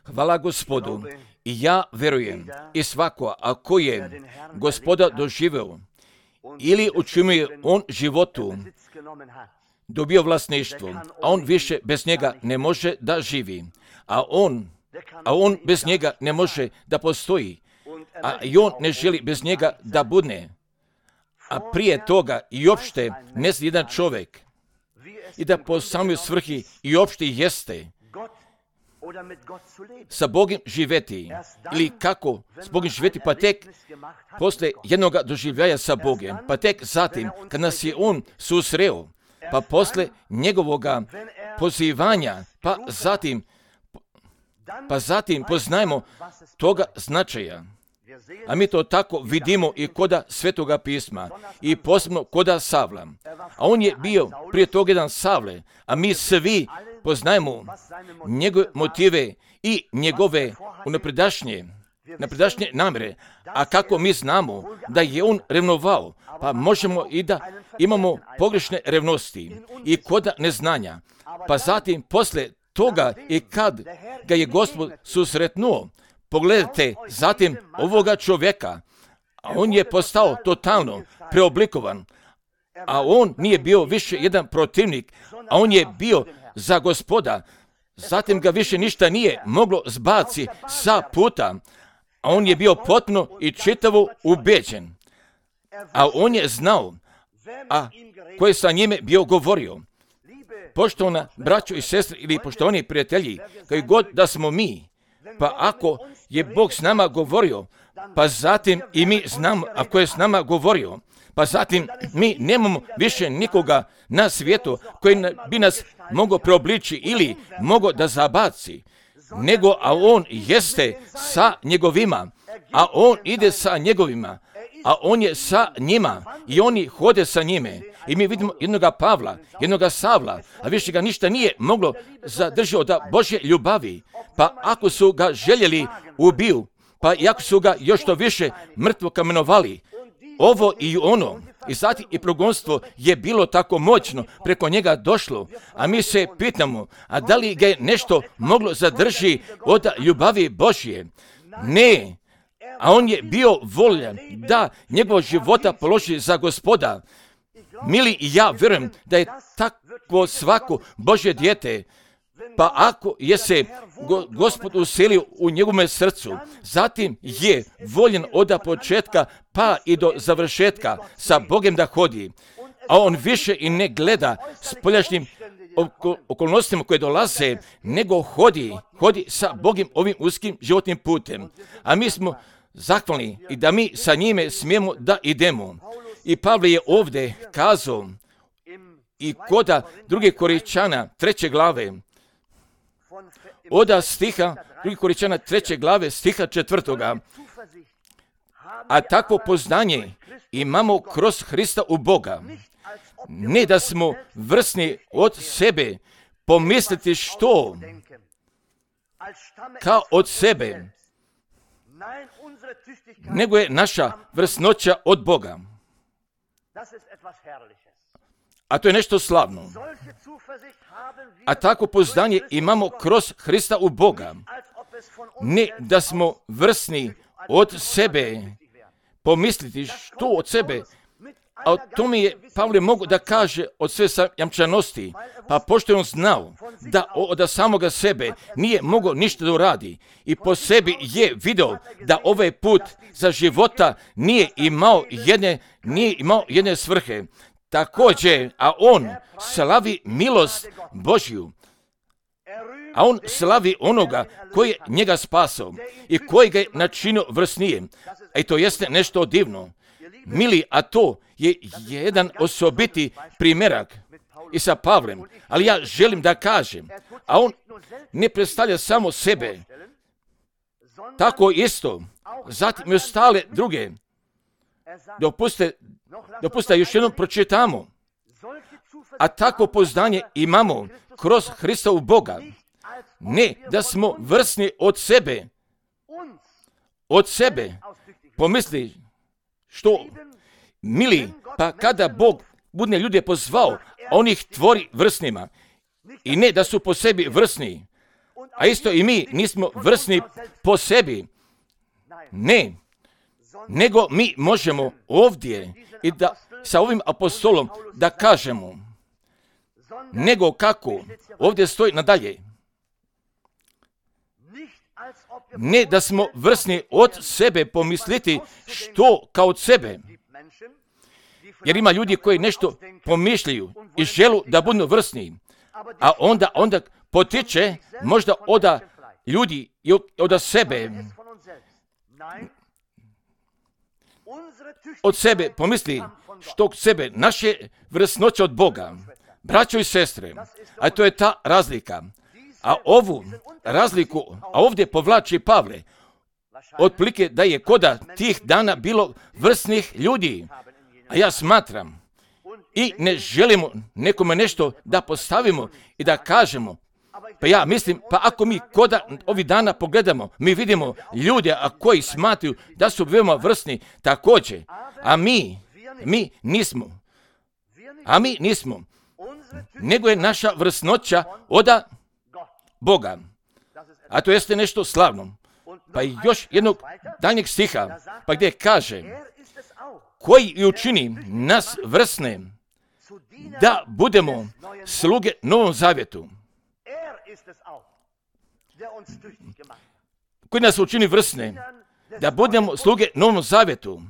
Hvala Gospodu. I ja verujem i svako, ako je Gospoda doživeo ili u čemu je on životu dobio vlasništvo, a on više bez njega ne može da živi, a on bez njega ne može da postoji, a i on ne želi bez njega da bude, a prije toga i opšte ne zna jedan čovjek i da po samoj svrhi i opšte jeste sa Bogom živeti ili kako s Bogom živeti, pa tek posle jednoga doživljaja sa Bogom, pa tek zatim kad nas je on susreo, pa posle njegovoga pozivanja, pa zatim poznajemo toga značaja. A mi to tako vidimo i koda Svetoga pisma i posebno koda Savla. A on je bio prije toga jedan Savle, a mi svi poznajemo njegove motive i njegove napredašnje namere. A kako mi znamo da je on revnovao, pa možemo i da imamo pogrešne revnosti i koda neznanja. Pa zatim posle toga i kad ga je Gospod susretnuo, pogledajte zatim ovoga čovjeka, a on je postao totalno preoblikovan, a on nije bio više jedan protivnik, a on je bio za Gospoda. Zatim ga više ništa nije moglo zbaci sa puta, a on je bio potpuno i čitavo ubeđen. A on je znao, a ko je sa njime bio govorio. Poštovana braćo i sestre ili poštovani prijatelji, koji god da smo mi, pa ako je Bog s nama govorio, pa zatim i mi znamo ako je s nama govorio, pa zatim mi nemamo više nikoga na svijetu koji bi nas mogao preobliči ili mogao da zabaci, nego a on jeste sa njegovima, a on ide sa njegovima, a on je sa njima i oni hode sa njime. I mi vidimo jednoga Pavla, jednoga Savla, a više ga ništa nije moglo zadržati od Božje ljubavi. Pa ako su ga željeli ubiju, pa i ako su ga još to više mrtvo kamenovali, ovo i ono, i zatim i progonstvo je bilo tako moćno preko njega došlo, a mi se pitamo, a da li ga je nešto moglo zadrži od ljubavi Božje? Ne, a on je bio voljan da njegov života položi za Gospoda. Mili, i ja vjerujem da je tako svako Božje dijete, pa ako je se Gospod uselio u njegovom srcu, zatim je voljen od početka pa i do završetka sa Bogom da hodi, a on više i ne gleda spoljašnjim okolnostima koje dolaze, nego hodi sa Bogom ovim uskim životnim putem. A mi smo zahvalni i da mi sa njime smijemo da idemo. I Pavle je ovdje kazao i koda 2. Korinćana 3. glave, od stiha 2. Korinćana 3. glave stiha 4. A takvo poznanje imamo kroz Hrista u Boga. Ne da smo vrsni od sebe pomisliti što kao od sebe, nego je naša vrsnoća od Boga. A to je nešto slavno. A tako poznanje imamo kroz Hrista u Boga. Ne da smo vrsni od sebe pomisliti što od sebe, a o tome je Pavle mogu da kaže od sve jamčanosti, pa pošto je on znao da od samoga sebe nije mogao ništa da uradi i po sebi je video da ovaj put za života nije imao jedne svrhe. Također, a on slavi milost Božju, a on slavi onoga koji je njega spasao i koji ga je načinio vrsnije. I to jeste nešto divno. Mili, a to je jedan osobiti primjerak i sa Pavlem, ali ja želim da kažem, a on ne predstavlja samo sebe, tako isto, zatim i ostale druge. Dopustite još jednom pročitamo. A tako poznanje imamo kroz Hrista u Boga. Ne da smo vrsni od sebe. Pomisli što, mili, pa kada Bog budne ljude pozvao, on ih tvori vrsnima. I ne da su po sebi vrsni, A isto i mi nismo vrsni po sebi. Ne, nego mi možemo ovdje i da sa ovim apostolom da kažemo, nego kako ovdje stoji nadalje. Ne da smo vrsni od sebe pomisliti što kao od sebe. Jer ima ljudi koji nešto pomišljaju i želu da budu vrsni. A onda potiče možda od ljudi i od sebe. Od sebe pomisli što od sebe, naše vrsnoće od Boga. Braćo i sestre, a to je ta razlika. A ovu razliku, a ovdje povlači Pavle, otprilike da je koda tih dana bilo vrsnih ljudi. A ja smatram i ne želimo nekome nešto da postavimo i da kažemo. Pa ja mislim, pa ako mi koda ovih dana pogledamo, mi vidimo ljude koji smatruju da su veoma vrsni također, a mi nismo. A mi nismo. Nego je naša vrsnoća od Boga. A to jeste nešto slavno. Pa i još jednog daljnjeg stiha, pa gdje kaže, koji učini nas vrsne da budemo sluge Novom Zavjetu. Koji nas učini vrsne da budemo sluge Novom Zavjetu.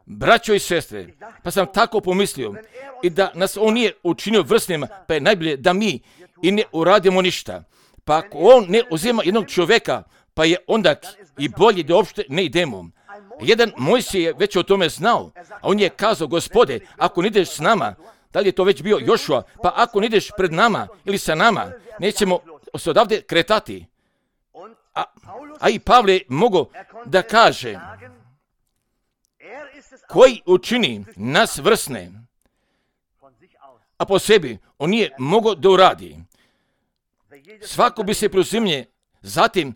Braćo i sestre, pa sam tako pomislio i da nas on nije učinio vrsnima, pa je najbolje da mi i ne uradimo ništa. Pa ako on ne uzima jednog čovjeka, pa je onda i bolje da uopšte ne idemo. Jedan Mojsije je već o tome znao, a on je kazao, Gospode, ako ne ideš s nama, da li je to već bio Jošua, pa ako ne ideš pred nama ili sa nama, nećemo se odavde kretati. A i Pavle je mogao da kaže, koji učini nas vrsne, a po sebi on nije mogao da uradi. Svako bi se preuzimlje zatim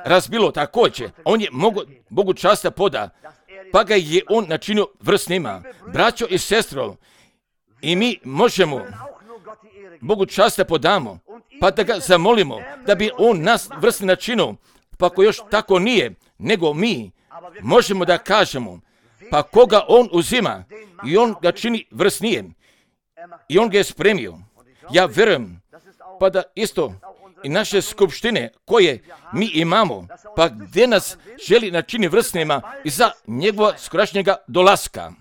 razbilo također. On je mogao Bogu časta poda, pa ga je on načinio vrsnima. Braćo i sestro, i mi možemo Bogu časta podamo, pa da ga zamolimo da bi on nas vrsni načinio, pa ako još tako nije, nego mi možemo da kažemo, pa koga on uzima i on ga čini vrsnijem i on ga je spremio. Ja vjerujem, pa da isto i naše skupštine koje mi imamo, pa gdje nas želi načini vrsnima i za njegova skorašnjega dolaska.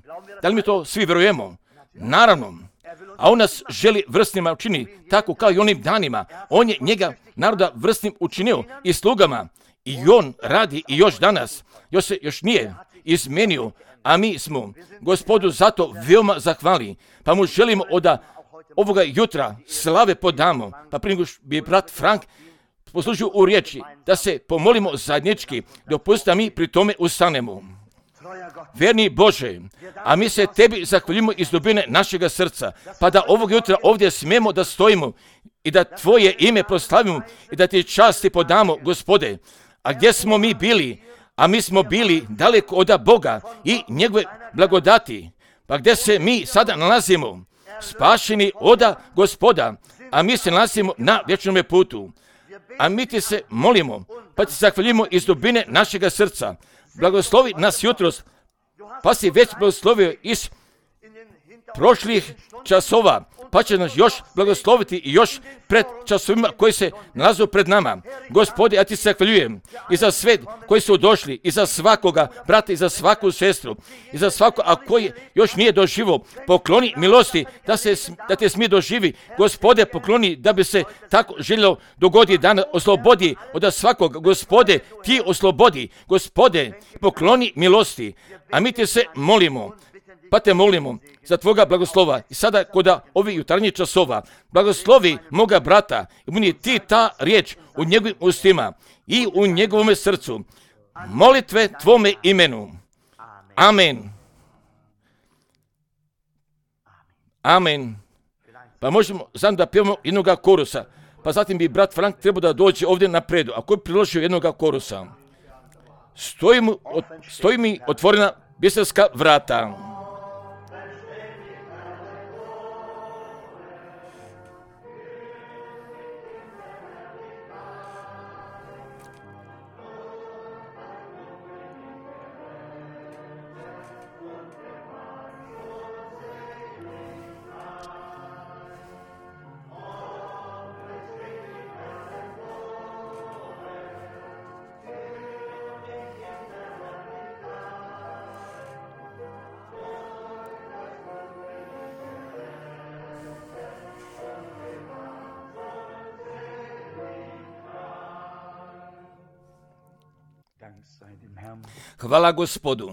Da li mi to svi vjerujemo? Naravno. A on nas želi vrsnima učini tako kao i onim danima. On je njega naroda vrsnim učinio i slugama. I on radi i još danas. Još nije izmenio, a mi smo Gospodu zato veoma zahvali. Pa mu želimo od ovoga jutra slave podamo. Pa prije nego bi brat Frank poslužio u riječi da se pomolimo zajednički, dopustite mi pri tome ustanemo. Vjerni Bože, a mi se tebi zahvaljujemo iz dubine našega srca, pa da ovog jutra ovdje smijemo da stojimo i da tvoje ime proslavimo i da ti časti podamo, Gospode. A gdje smo mi bili? A mi smo bili daleko od Boga i njegove blagodati. Pa gdje se mi sada nalazimo? Spašeni od Gospoda, a mi se nalazimo na vječnom putu. A mi ti se molimo, pa ti zahvaljujemo iz dubine našega srca. Blagoslovi nas jutros, pa si već blagoslovio iz prošlih časova, pa će nas još blagosloviti i još pred časovima koji se nalazu pred nama. Gospode, ja ti se zahvaljujem i za sve koji su došli, i za svakoga brata, i za svaku sestru, i za svako, a koji još nije doživo, pokloni milosti da te smije doživi. Gospode, pokloni da bi se tako željelo dogodi da oslobodi od svakog. Gospode, ti oslobodi. Gospode, pokloni milosti, a mi ti se molimo. Pa te molimo za tvoga blagoslova i sada kod ovih jutarnjih časova blagoslovi moga brata i budi ti ta riječ u njegovim ustima i u njegovom srcu. Molitve tvome imenu. Amen. Amen. Pa možemo znam da pjevamo jednoga korusa, pa zatim bi brat Frank trebao da dođe ovdje napredu. Ako je priložio jednoga korusa, stoji mi otvorena biserska vrata. Hvala Gospodu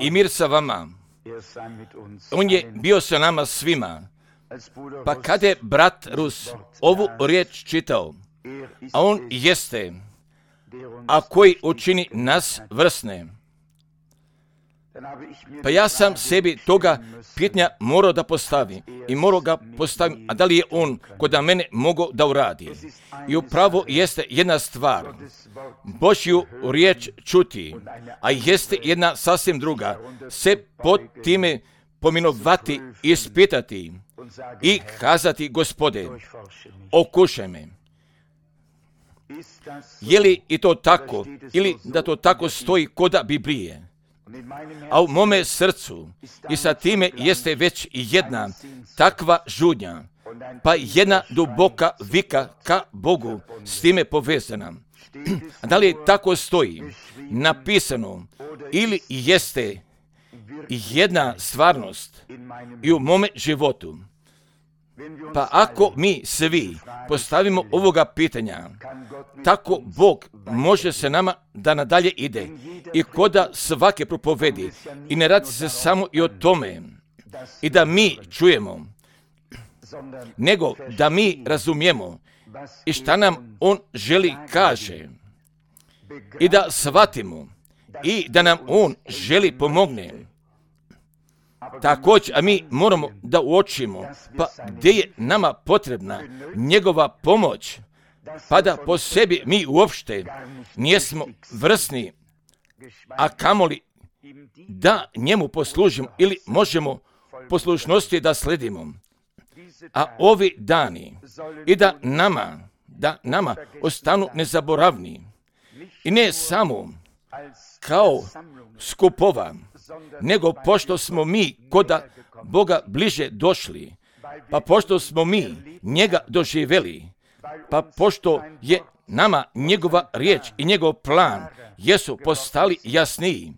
i mir sa vama. On je bio sa nama svima. Pa kada je brat Rus ovu riječ čitao, a on jeste, a koji učini nas vrsne, pa ja sam sebi toga pitanja morao da postavim i morao ga postavim, a da li je on kod mene mogao da uradi. I upravo jeste jedna stvar, Božju riječ čuti, a jeste jedna sasvim druga, se pod time pominovati, ispitati i kazati, Gospode, okušaj me. Je li i to tako, ili da to tako stoji koda Biblije? A u mome srcu i sa time jeste već jedna takva žudnja, pa jedna duboka vika ka Bogu s time povezana. Da li tako stoji napisano ili jeste jedna stvarnost i u mome životu? Pa ako mi svi postavimo ovoga pitanja, tako Bog može se nama da nadalje ide i koda svake propovedi. I ne radi se samo i o tome i da mi čujemo, nego da mi razumijemo i šta nam On želi kaže i da shvatimo i da nam On želi pomogne. Također, a mi moramo da uočimo, pa gdje je nama potrebna njegova pomoć, pa da po sebi mi uopšte nijesmo vrsni, a kamoli da njemu poslužimo ili možemo poslušnosti da sledimo. A ovi dani i da nama ostanu nezaboravni i ne samo kao skupova, nego pošto smo mi koda Boga bliže došli, pa pošto smo mi njega doživjeli, pa pošto je nama njegova riječ i njegov plan jesu postali jasniji.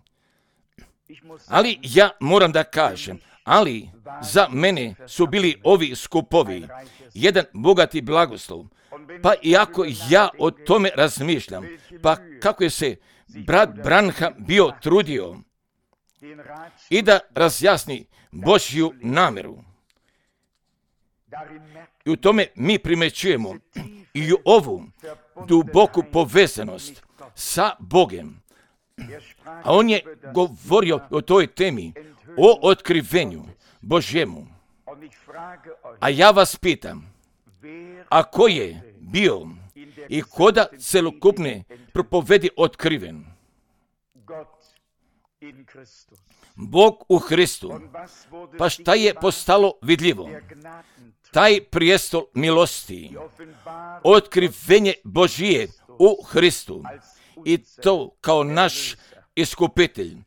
Ali ja moram da kažem, ali za mene su bili ovi skupovi jedan bogati blagoslov. Pa iako ja o tome razmišljam, pa kako je se brat Branham bio trudio i da razjasni Božju namjeru. I u tome mi primećujemo i u ovu duboku povezanost sa Bogem. A on je govorio o toj temi, o otkrivenju Božjemu. A ja vas pitam, a ko je bio i koda celokupne propovedi otkriven? Bog u Hristu. Pa šta je postalo vidljivo? Taj prijestol milosti, otkrivenje Božije u Hristu i to kao naš iskupitelj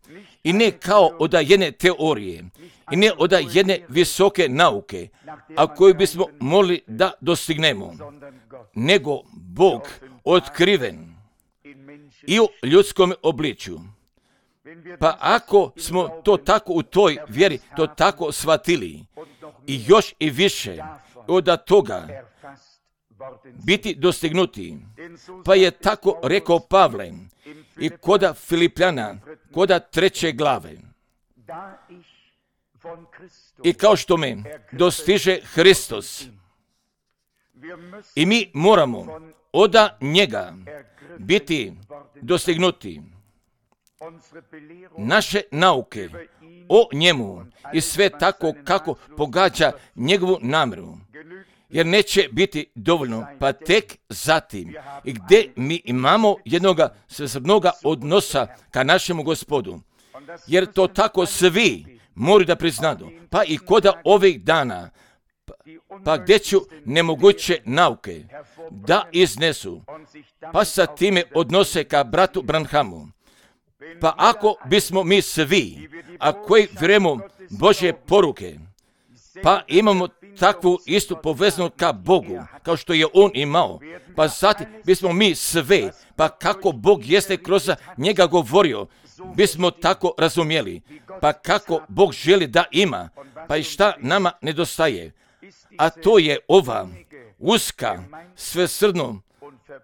i ne kao od jedne teorije i ne od jedne visoke nauke, a koju bismo mogli da dostignemo, nego Bog otkriven i u ljudskom obličju. Pa ako smo to tako u toj vjeri, to tako shvatili i još i više od toga biti dostignuti, pa je tako rekao Pavle i koda Filipljana, koda 3. glave. I kao što me dostiže Hristos, i mi moramo od njega biti dostignuti. Naše nauke o njemu i sve tako kako pogađa njegovu namjeru, jer neće biti dovoljno, pa tek zatim i gdje mi imamo jednoga svesrdnoga odnosa ka našemu Gospodu, jer to tako svi moraju da priznadu, pa i koda ovih dana, pa gdje ću nemoguće nauke da iznesu, pa sa time odnose ka bratu Branhamu. Pa ako bismo mi svi, a koji vjerujemo Božje poruke, pa imamo takvu istu povezanost ka Bogu, kao što je On imao, pa zatim bismo mi sve, pa kako Bog jeste kroz njega govorio, bismo tako razumjeli, pa kako Bog želi da ima, pa i šta nama nedostaje. A to je ova uska, svesrdno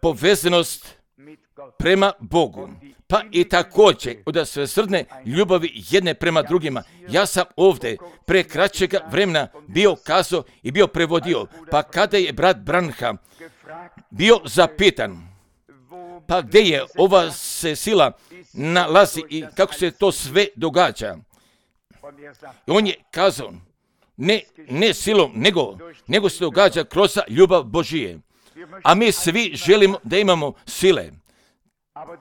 povezanost prema Bogu, pa i također od svesrdne ljubavi jedne prema drugima. Ja sam ovdje pre kraćega vremena bio kazao i bio prevodio, pa kada je brat Branham bio zapitan, pa gdje je ova se sila nalazi i kako se to sve događa. I on je kazao, ne silom, nego se događa kroz ljubav Božije. A mi svi želimo da imamo sile.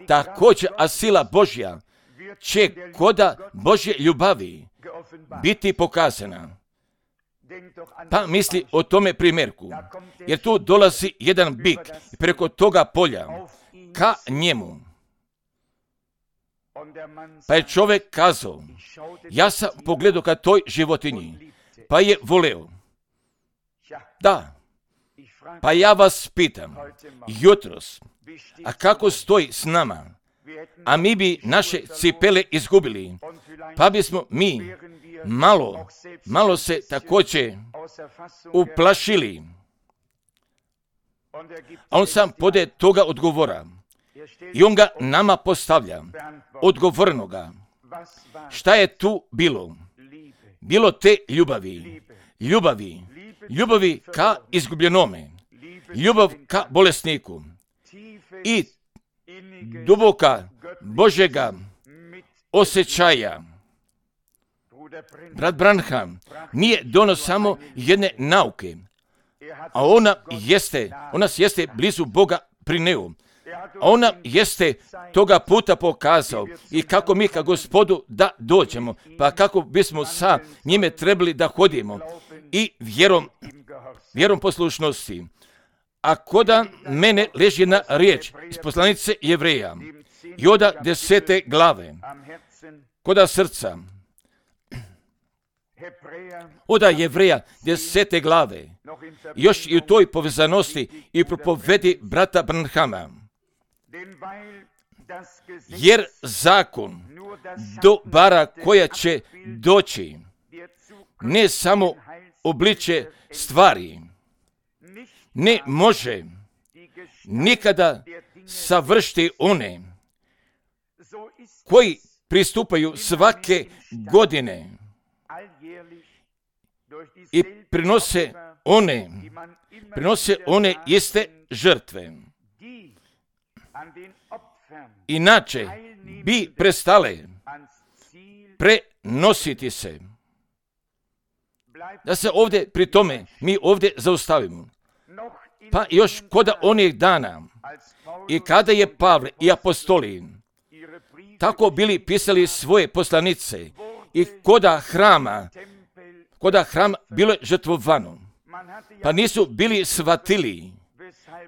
Također, a sila Božja će koda Božje ljubavi biti pokazana. Pa misli o tome primjerku, jer tu dolazi jedan bik preko toga polja ka njemu. Pa je čovjek kazao, ja sam pogledao ka toj životinji, pa je voleo. Da, pa ja vas pitam, jutros, a kako stoji s nama? A mi bi naše cipele izgubili, pa bismo mi malo se također uplašili. A on sam pode toga odgovora. I on ga nama postavlja, odgovornoga. Šta je tu bilo? Bilo te ljubavi ka izgubljenome, ljubav ka bolesniku i duboka Božjega osjećaja. Brat Branham nije dono samo jedne nauke, a ona jeste blizu Boga prineo. A ona jeste toga puta pokazao i kako mi ka Gospodu da dođemo, pa kako bismo sa njime trebali da hodimo i vjerom poslušnosti. A koda mene leži jedna riječ iz poslanice Jevreja, Joda 10. glave, koda srca, oda Jevreja 10. glave, još i u toj povezanosti i propovedi brata Branhama. Jer zakon dobara koja će doći ne samo obliče stvari, ne može nikada savršiti one koji pristupaju svake godine i prinose one iste žrtve. Inače bi prestale prenositi se. Da se ovdje pri tome mi ovdje zaustavimo. Pa još koda onih dana i kada je Pavle i apostoli tako bili pisali svoje poslanice i koda hrama bilo je žrtvovano, pa nisu bili shvatili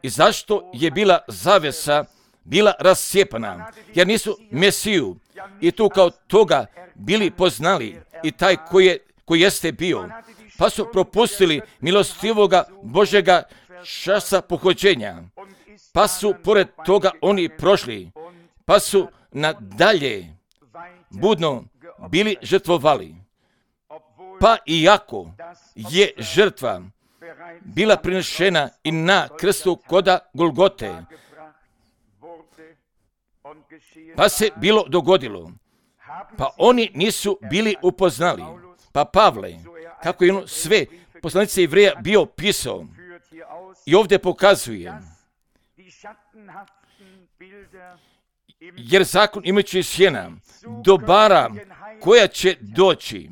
i zašto je bila zavesa bila rascijepana, jer nisu Mesiju i tu kao toga bili poznali i taj koji jeste bio, pa su propustili milostivoga Božega časa pohođenja, pa su pored toga oni prošli, pa su nadalje budno bili žrtvovali. Pa iako je žrtva bila prinešena i na krstu koda Golgote, pa se bilo dogodilo, pa oni nisu bili upoznali. Pa Pavle, kako je on sve poslanice Jevreja bio pisao i ovdje pokazuje, jer zakon imajući sjena dobara koja će doći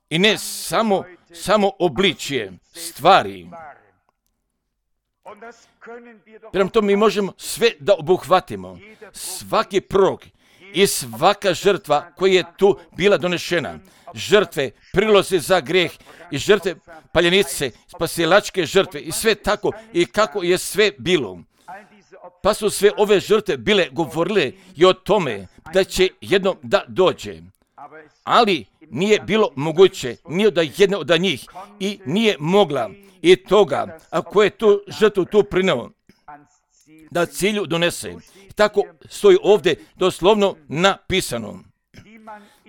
i ne samo obličje stvari. Prema tome mi možemo sve da obuhvatimo, svaki prorok i svaka žrtva koja je tu bila donešena, žrtve, prilozi za grijeh i žrtve paljenice, spasilačke žrtve i sve tako i kako je sve bilo. Pa su sve ove žrtve bile govorile i o tome da će jednom da dođe. Ali nije bilo moguće ni od jedne od njih i nije mogla i toga, ako je tu žrtvu tu prineo, da cilju donese. Tako stoji ovdje doslovno napisano.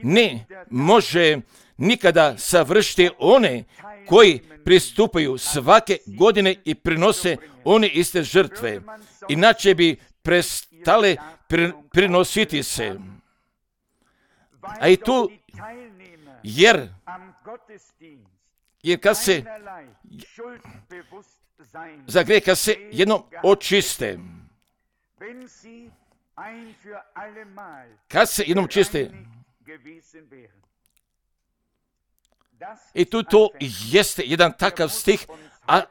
Ne može nikada savršiti one koji pristupaju svake godine i prinose one iste žrtve. Inače bi stale prinositi se. A i tu, jer kad se za grijeh, kad se jednom očiste, kad se jednom čiste, i tu to jeste jedan takav stih, a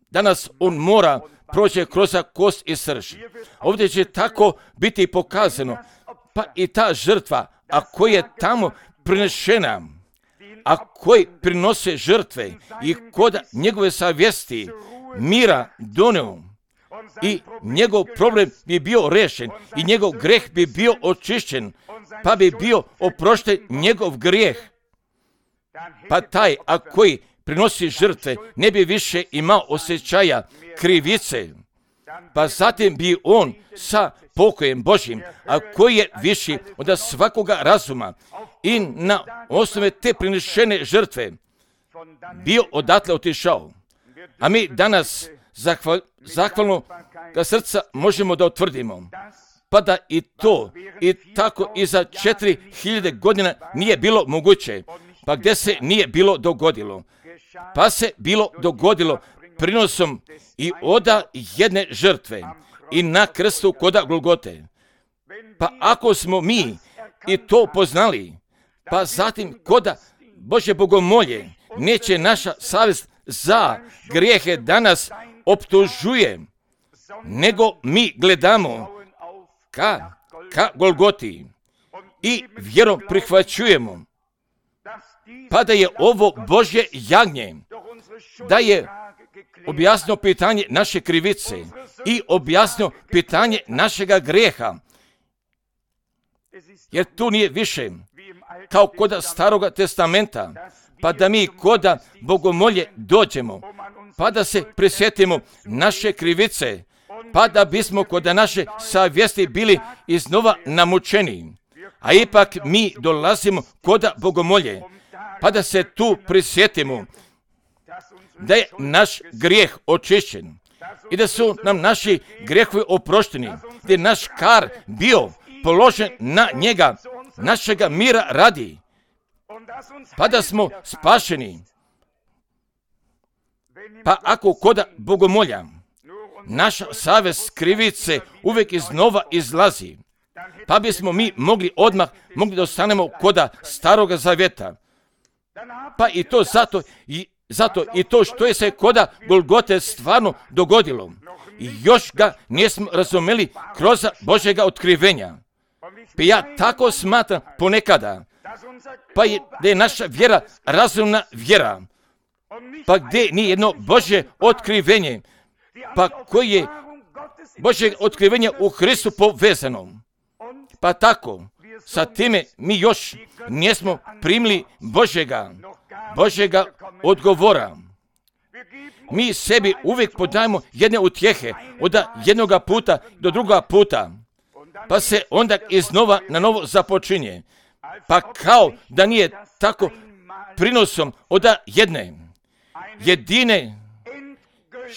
danas on mora proći kroz kost i srž. Ovdje će tako biti pokazano, pa i ta žrtva, a koja je tamo prinešena, a koji prinose žrtve i kod njegove savjesti mira doneo, i njegov problem bi bio rešen i njegov greh bi bio očišćen, pa bi bio oprošten njegov grijeh. Pa taj, a koji prinosi žrtve, ne bi više imao osjećaja krivice, pa zatim bi on sa pokojem Božjim, a koji je viši od svakoga razuma, i na osnovu te prinešene žrtve bio odatle otišao. A mi danas zahvalno ga srca možemo da utvrdimo, pa da i to i tako i za 4000 godina nije bilo moguće. Pa gdje se nije bilo dogodilo? Pa se bilo dogodilo prinosom i oda jedne žrtve i na krstu koda Golgote. Pa ako smo mi i to poznali, pa zatim koda Božje bogomolje neće naša savjest za grijehe danas optužuje, nego mi gledamo ka Golgoti i vjerom prihvaćujemo, pa da je ovo Božje jagnje, da je objasnio pitanje naše krivice i objasnio pitanje našega grijeha. Jer tu nije više kao koda Staroga testamenta, pa da mi koda bogomolje dođemo, pa da se prisjetimo naše krivice, pa da bismo koda naše savjesti bili iznova namučeni. A ipak mi dolazimo koda bogomolje, pa da se tu prisjetimo da je naš grijeh očišćen i da su nam naši grijehovi oprošteni, da je naš kar bio položen na njega, našega mira radi, pa da smo spašeni. Pa ako koda bogomolja naša savjest krivice uvijek iznova izlazi, pa bismo mi mogli da ostanemo koda Staroga zavjeta. Pa i to zato i to što je se koda Golgote stvarno dogodilo. I još ga nismo razumeli kroz Božjega otkrivenja. Pa ja tako smatram ponekada, pa da je naša vjera razumna vjera, pa gdje nije jedno Božje otkrivenje, pa koje je Božje otkrivenje u Hristu povezano. Pa tako, sa time mi još nismo primili Božjega odgovora. Mi sebi uvijek podajemo jedne utjehe od jednoga puta do druga puta, pa se onda iznova na novo započinje. Pa kao da nije tako prinosom od jedine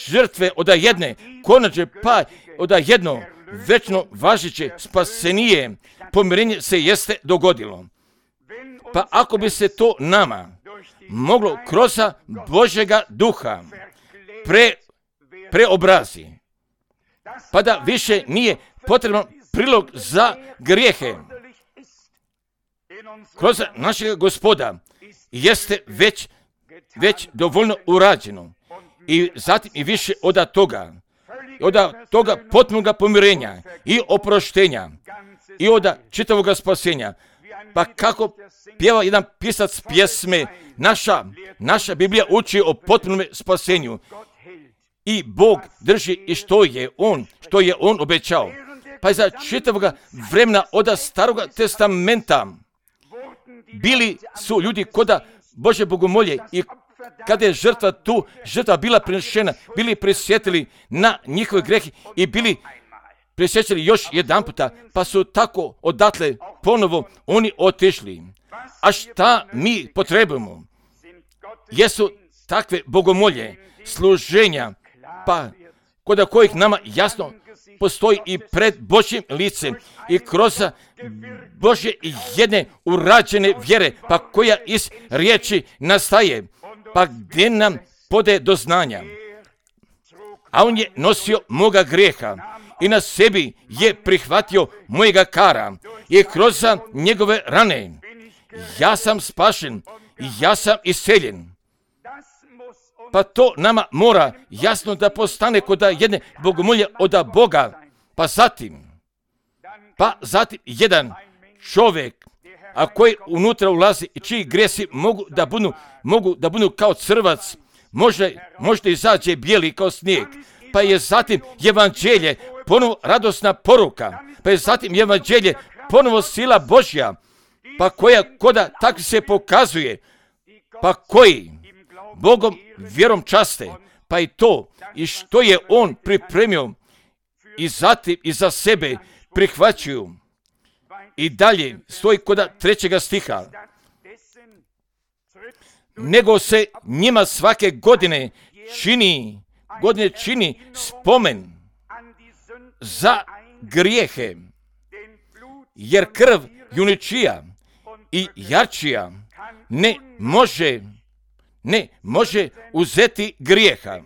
žrtve, od jedne konačne, pa od jedno večno važeće spasenije pomirenje se jeste dogodilo. Pa ako bi se to nama moglo kroz Božjega duha preobrazi, pa da više nije potrebno prilog za grijehe, kroz našeg Gospoda jeste već dovoljno urađeno. I zatim i više od toga potpunog pomirenja i oproštenja i od čitavoga spasenja. Pa kako pjeva jedan pisac pjesme, naša Biblija uči o potpunom spasenju i Bog drži i što je on obećao. Pa za čitavoga vremena od Staroga testamenta bili su ljudi koda Božje bogomolje i kada je žrtva bila prinešena, bili prisjetili na njihove grehe i bili prisjećali još jedan puta, pa su tako odatle ponovo oni otišli. A šta mi potrebujemo? Jesu takve bogomolje, služenja, pa kod kojih nama jasno postoji i pred Božjim licem i kroz Božje jedne urađene vjere, pa koja iz riječi nastaje, pa gdje nam pode do znanja. A on je nosio moga grijeha i na sebi je prihvatio mojega kara i kroz njegove rane ja sam spašen i ja sam iseljen. Pa to nama mora jasno da postane kod jedne bogomolje od Boga. Pa zatim jedan čovjek, a koji unutra ulazi i čiji grijesi mogu da budu kao crvac, možda izađe bijeli kao snijeg. Pa je zatim evanđelje ponovo radosna poruka, pa je zatim evanđelje ponovo sila Božja, pa koja koda tako se pokazuje, pa koji Bogom vjerom časte, pa i to i što je on pripremio i zatim i za sebe prihvaćuju. I dalje stoji kod 3. stiha. Nego se njima svake godine čini spomen za grijehe, jer krv juničija i jarčija ne može uzeti grijeha.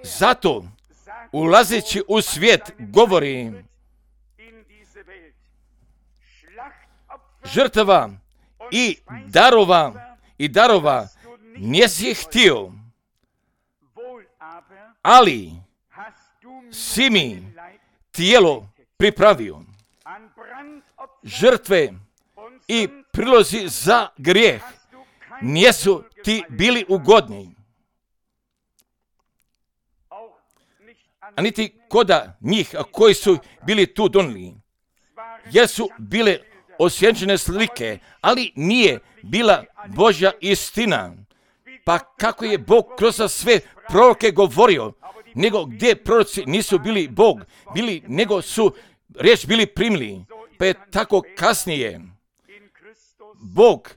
Zato, ulazeći u svijet, govori žrtava i darova nisi htio, ali si mi tijelo pripravio. Žrtve i prilozi za grijeh nisu ti bili ugodni. A niti koda njih koji su bili tu donijeli, jer su bile osjenčene slike, ali nije bila Božja istina. Pa kako je Bog kroz sve proroke govorio, nego gdje proroci nisu bili Bog, nego su riječ bili primili. Pa je tako kasnije Bog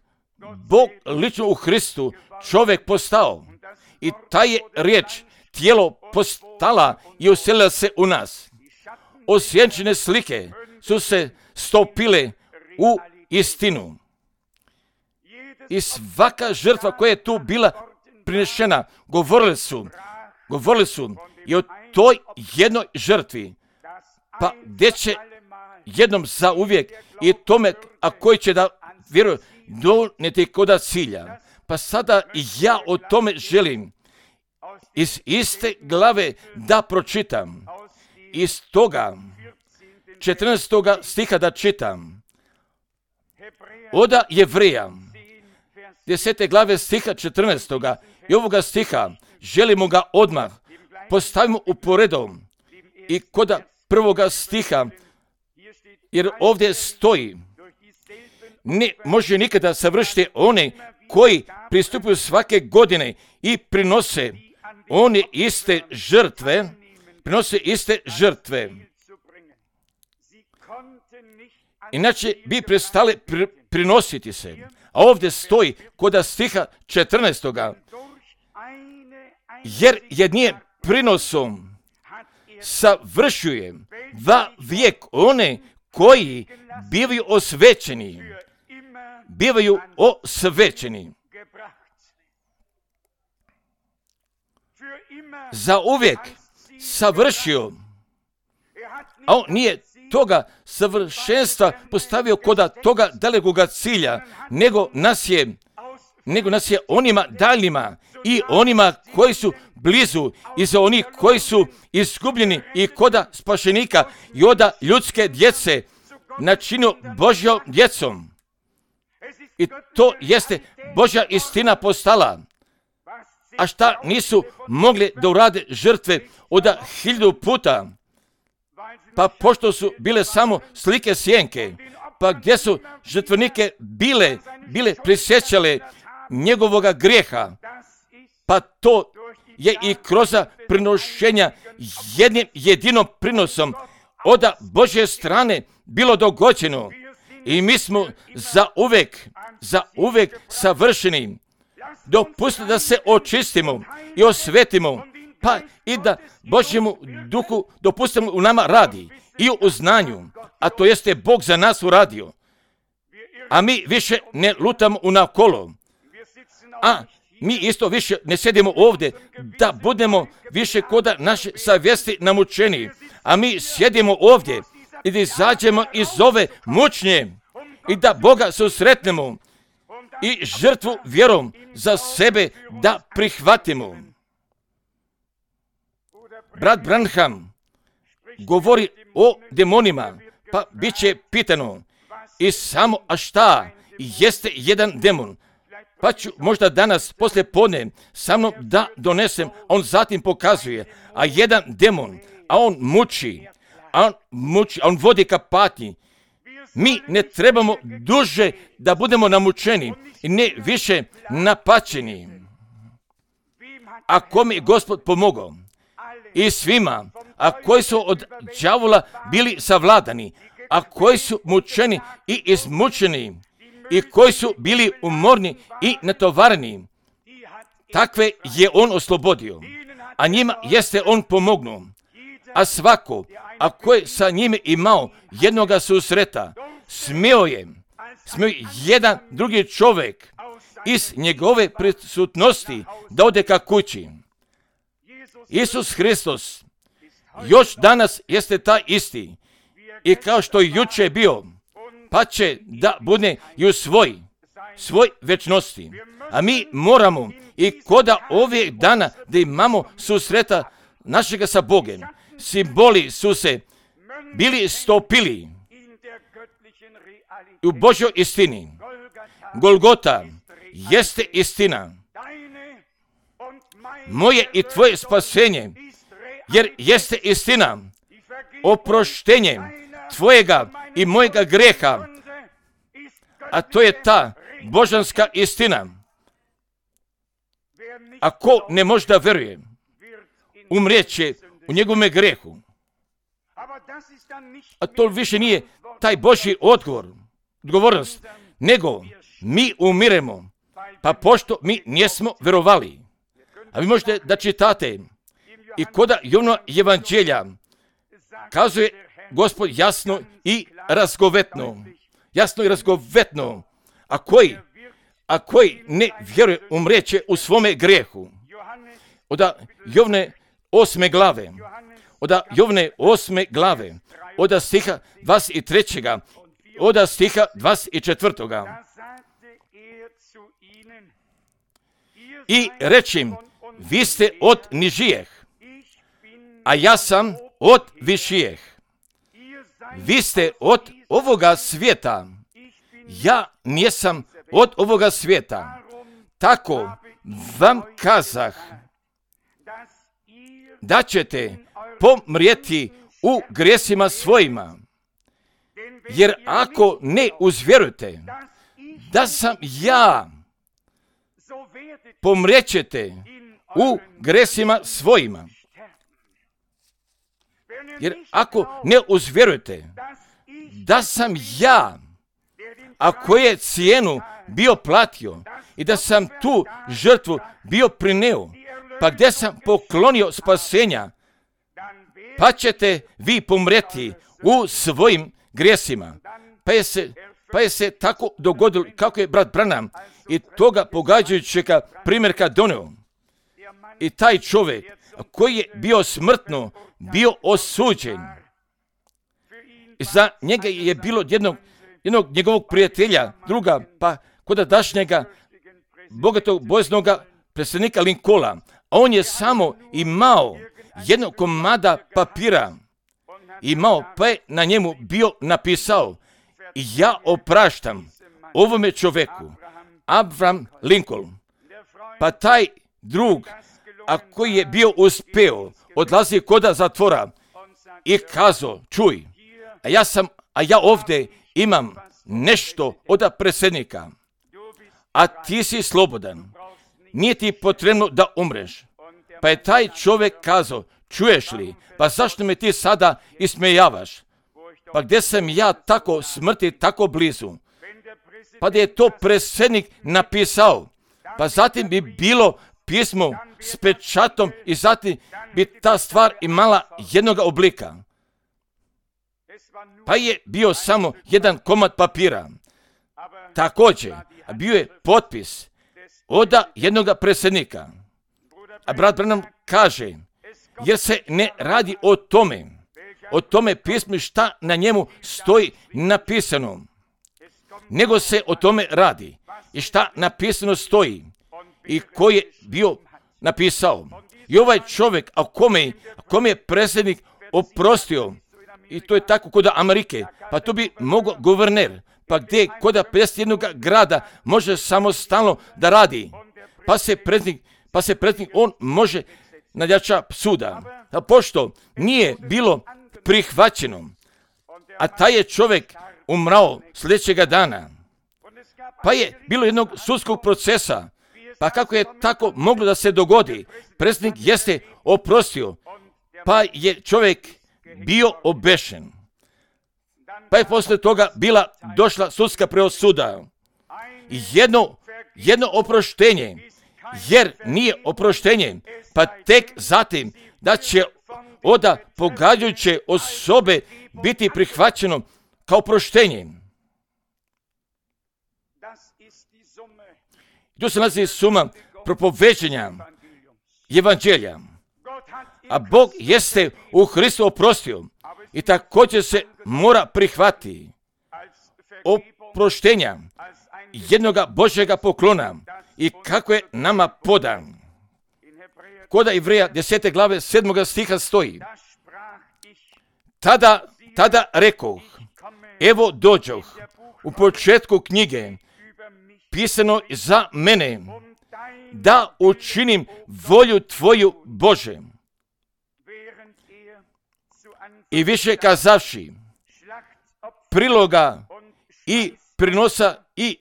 lično u Hristu čovjek postao i ta je riječ tijelo postala i uselila se u nas. Osjenčene slike su se stopile u istinu. I svaka žrtva koja je tu bila prinešena, govorili su i o toj jednoj žrtvi, pa gdje će jednom zauvijek i tome, a koji će da vjeruje, donijeti koda cilja. Pa sada ja o tome želim iz iste glave da pročitam. Iz toga 14. stiha da čitam. Oda Jevreja 10. glave stiha 14. i ovoga stiha želimo ga odmah postavimo u poredom i kod 1. stiha, jer ovdje stoji ne može nikada savršiti one koji pristupuju svake godine i prinose one iste žrtve. Inače bi prestale prinositi se. A ovdje stoji kod stiha 14. Jer jednim prinosom savršuje va vijek one koji bivaju osvećeni. Za uvijek savršio, a on nije toga savršenstva postavio kod toga dalekoga cilja, nego nas je onima daljnjima i onima koji su blizu i za onih koji su izgubljeni i koda spašenika i oda ljudske djece načinio Božjom djecom. I to jeste Božja istina postala. A šta nisu mogli da urade žrtve od 1000 puta? Pa pošto su bile samo slike sjenke, pa gdje su žrtvenike bile prisjećale njegovoga grijeha, pa to je i kroz prinošenja jednim jedinom prinosom od Božje strane bilo dogođeno i mi smo za uvek savršeni. dopustiti da se očistimo i osvetimo, pa i da Božjemu duhu dopustimo u nama radi i u znanju, a to jeste Bog za nas uradio. A mi više ne lutamo unakolo, a mi isto više ne sjedimo ovdje da budemo više koda naše savjesti namučeni, a mi sjedimo ovdje i da izađemo iz ove mučnje i da Boga susretnemo i žrtvu vjerom za sebe da prihvatimo. Brat Branham govori o demonima, pa bit će pitano i samo, a šta jeste jedan demon? Pa ću možda danas poslije podne sa mnom da donesem, on zatim pokazuje, a jedan demon, a on muči, a on vodi ka patnji. Mi ne trebamo duže da budemo namučeni i ne više napačeni. A kome je Gospod pomogao? I svima, a koji su od đavola bili savladani, a koji su mučeni i izmučeni, i koji su bili umorni i natovareni, takve je on oslobodio, a njima jeste on pomognuo. A svako, a koji sa njime imao jednoga susreta, smio je jedan drugi čovjek iz njegove prisutnosti da ode ka kući. Isus Hristos još danas jeste taj isti i kao što je juče bio, pa će da bude i u svoj večnosti. A mi moramo i koda ovih dana da imamo susreta našega sa Bogem. Simboli su se bili stopili u Božjoj istini. Golgota jeste istina. Moje i tvoje spasenje, jer jeste istina. Oproštenje tvojega i mojega greha, a to je ta božanska istina. Ako ne može da veruje, umrijeće u njegovome grehu. A to više nije taj Božji odgovornost, nego mi umiremo, pa pošto mi nismo verovali. A vi možete da čitate i koda Jovnova evanđelja kazuje Gospod jasno i razgovetno, a koji ne vjeruje umreće u svome grehu. Od Jovne 8. glave, od stiha 23. od stiha 24. I rečim, vi ste od nižijeh, a ja sam od višijeh. Vi ste od ovoga svijeta, ja nisam od ovoga svijeta. Tako vam kazah, da ćete pomrijeti u grijesima svojima. Jer ako ne uzvjerujete da sam ja, pomrijećete u grijesima svojima. Jer ako ne uzvjerujete da sam ja, a koju je cijenu bio platio i da sam tu žrtvu bio prineo, pa gdje sam poklonio spasenja, pa ćete vi pomreti u svojim grijesima. Pa je se tako dogodilo kako je brat Branham i toga pogađajućega primjerka donio. I taj čovjek koji je bio smrtno, bio osuđen. Za njega je bilo jednog njegovog prijatelja, druga, pa kod dašnjega bogatog bojeznoga predsjednika Lincolna. A on je samo imao jednog komada papira, pa je na njemu bio napisao: ja opraštam ovome čovjeku, Abraham Lincoln. Pa taj drug, a koji je bio uspeo, odlazi koda zatvora i kazao: čuj, a ja ovdje imam nešto od predsjednika, a ti si slobodan, nije ti potrebno da umreš. Pa je taj čovjek kazao: čuješ li, pa zašto me ti sada ismejavaš? Pa gdje sam ja tako smrti, tako blizu? Pa da je to predsjednik napisao, pa zatim bi bilo pismo s pečatom i zatim bi ta stvar imala jednog oblika. Pa je bio samo jedan komad papira. Također, bio je potpis od jednog predsjednika. A brat Branham kaže, jer se ne radi o tome pismu šta na njemu stoji napisano, nego se o tome radi i šta napisano stoji i ko je bio napisao. I ovaj čovjek, a kome je predsjednik oprostio, i to je tako kod Amerike, pa to bi mogao guverner, pa gdje kod 51 grada može samostalno da radi, pa se predsjednik on može nadjača suda. A pošto nije bilo prihvaćeno, a taj je čovjek umrao sljedećega dana, pa je bilo jednog sudskog procesa, pa kako je tako moglo da se dogodi, predsjednik jeste oprostio, pa je čovjek bio obešen. Pa je poslije toga došla sudska presuda. Jedno oproštenje, jer nije oproštenje, pa tek zatim da će od pogađajuće osobe biti prihvaćeno kao oproštenje. Tu se nalazi suma propoveđenja evanđelja. A Bog jeste u Hristu oprostio i također se mora prihvatiti oproštenja jednoga Božjega poklona i kako je nama podan. Kod Ivreja 10. glave 7. stiha stoji: Tada rekoh, evo dođoh, u početku knjige pisano za mene, da učinim volju Tvoju, Bože. I više kazavši, priloga i prinosa i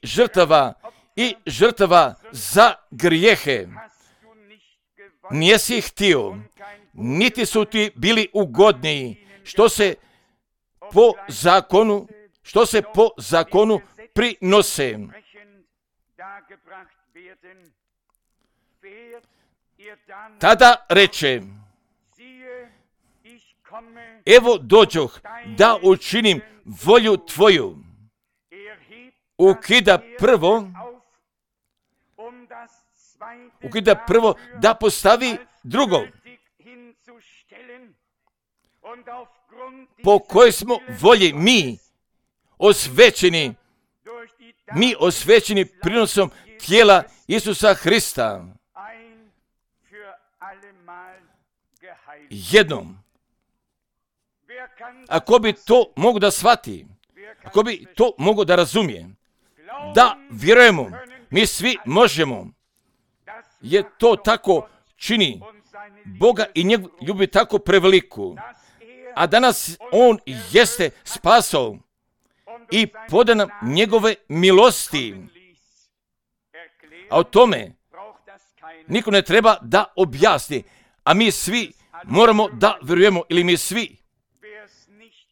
žrtava za grijehe nijesi htio, niti su ti bili ugodniji, što se po zakonu prinose. Tada reče, evo dođoh da učinim volju Tvoju. Ukida prvo da postavi drugo, po kojoj smo volji mi osvećeni prinosom tijela Isusa Hrista. Jednom. Ako bi to mogo da shvati, ako bi to mogo da razumije, da vjerujemo, mi svi možemo, jer to tako čini Boga i njegu ljubi tako preveliku, a danas On jeste spasao i poda nam njegove milosti. A o tome niko ne treba da objasni, a mi svi moramo da vjerujemo, ili mi svi,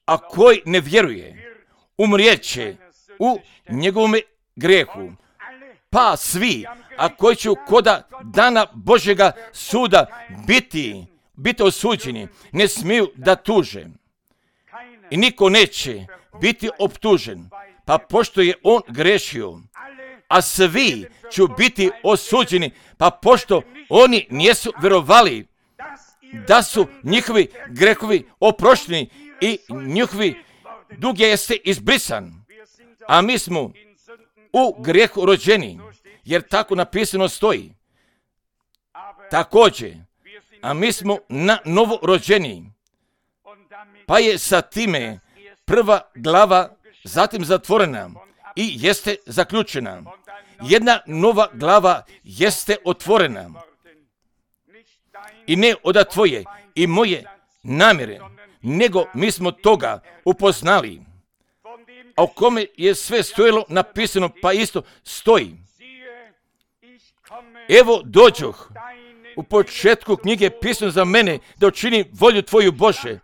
a koji ne vjeruje, umrijeće u njegovome grijehu. Pa svi, a koji će koda dana Božjega suda biti osuđeni, ne smiju da tuže. I niko neće biti optužen, pa pošto je on grešio, a svi će biti osuđeni, pa pošto oni nisu vjerovali da su njihovi grehovi oprošteni i njihovi dug jeste izbrisan, a mi smo u grijehu rođeni, jer tako napisano stoji. Također, a mi smo na novo rođeni, pa je sa time prva glava zatim zatvorena i jeste zaključena. Jedna nova glava jeste otvorena. I ne od tvoje i moje namjere, nego mi smo toga upoznali, a o kome je sve stojilo napisano, pa isto stoji. Evo dođoh, u početku knjige pisano za mene, da učinim volju Tvoju, Bože.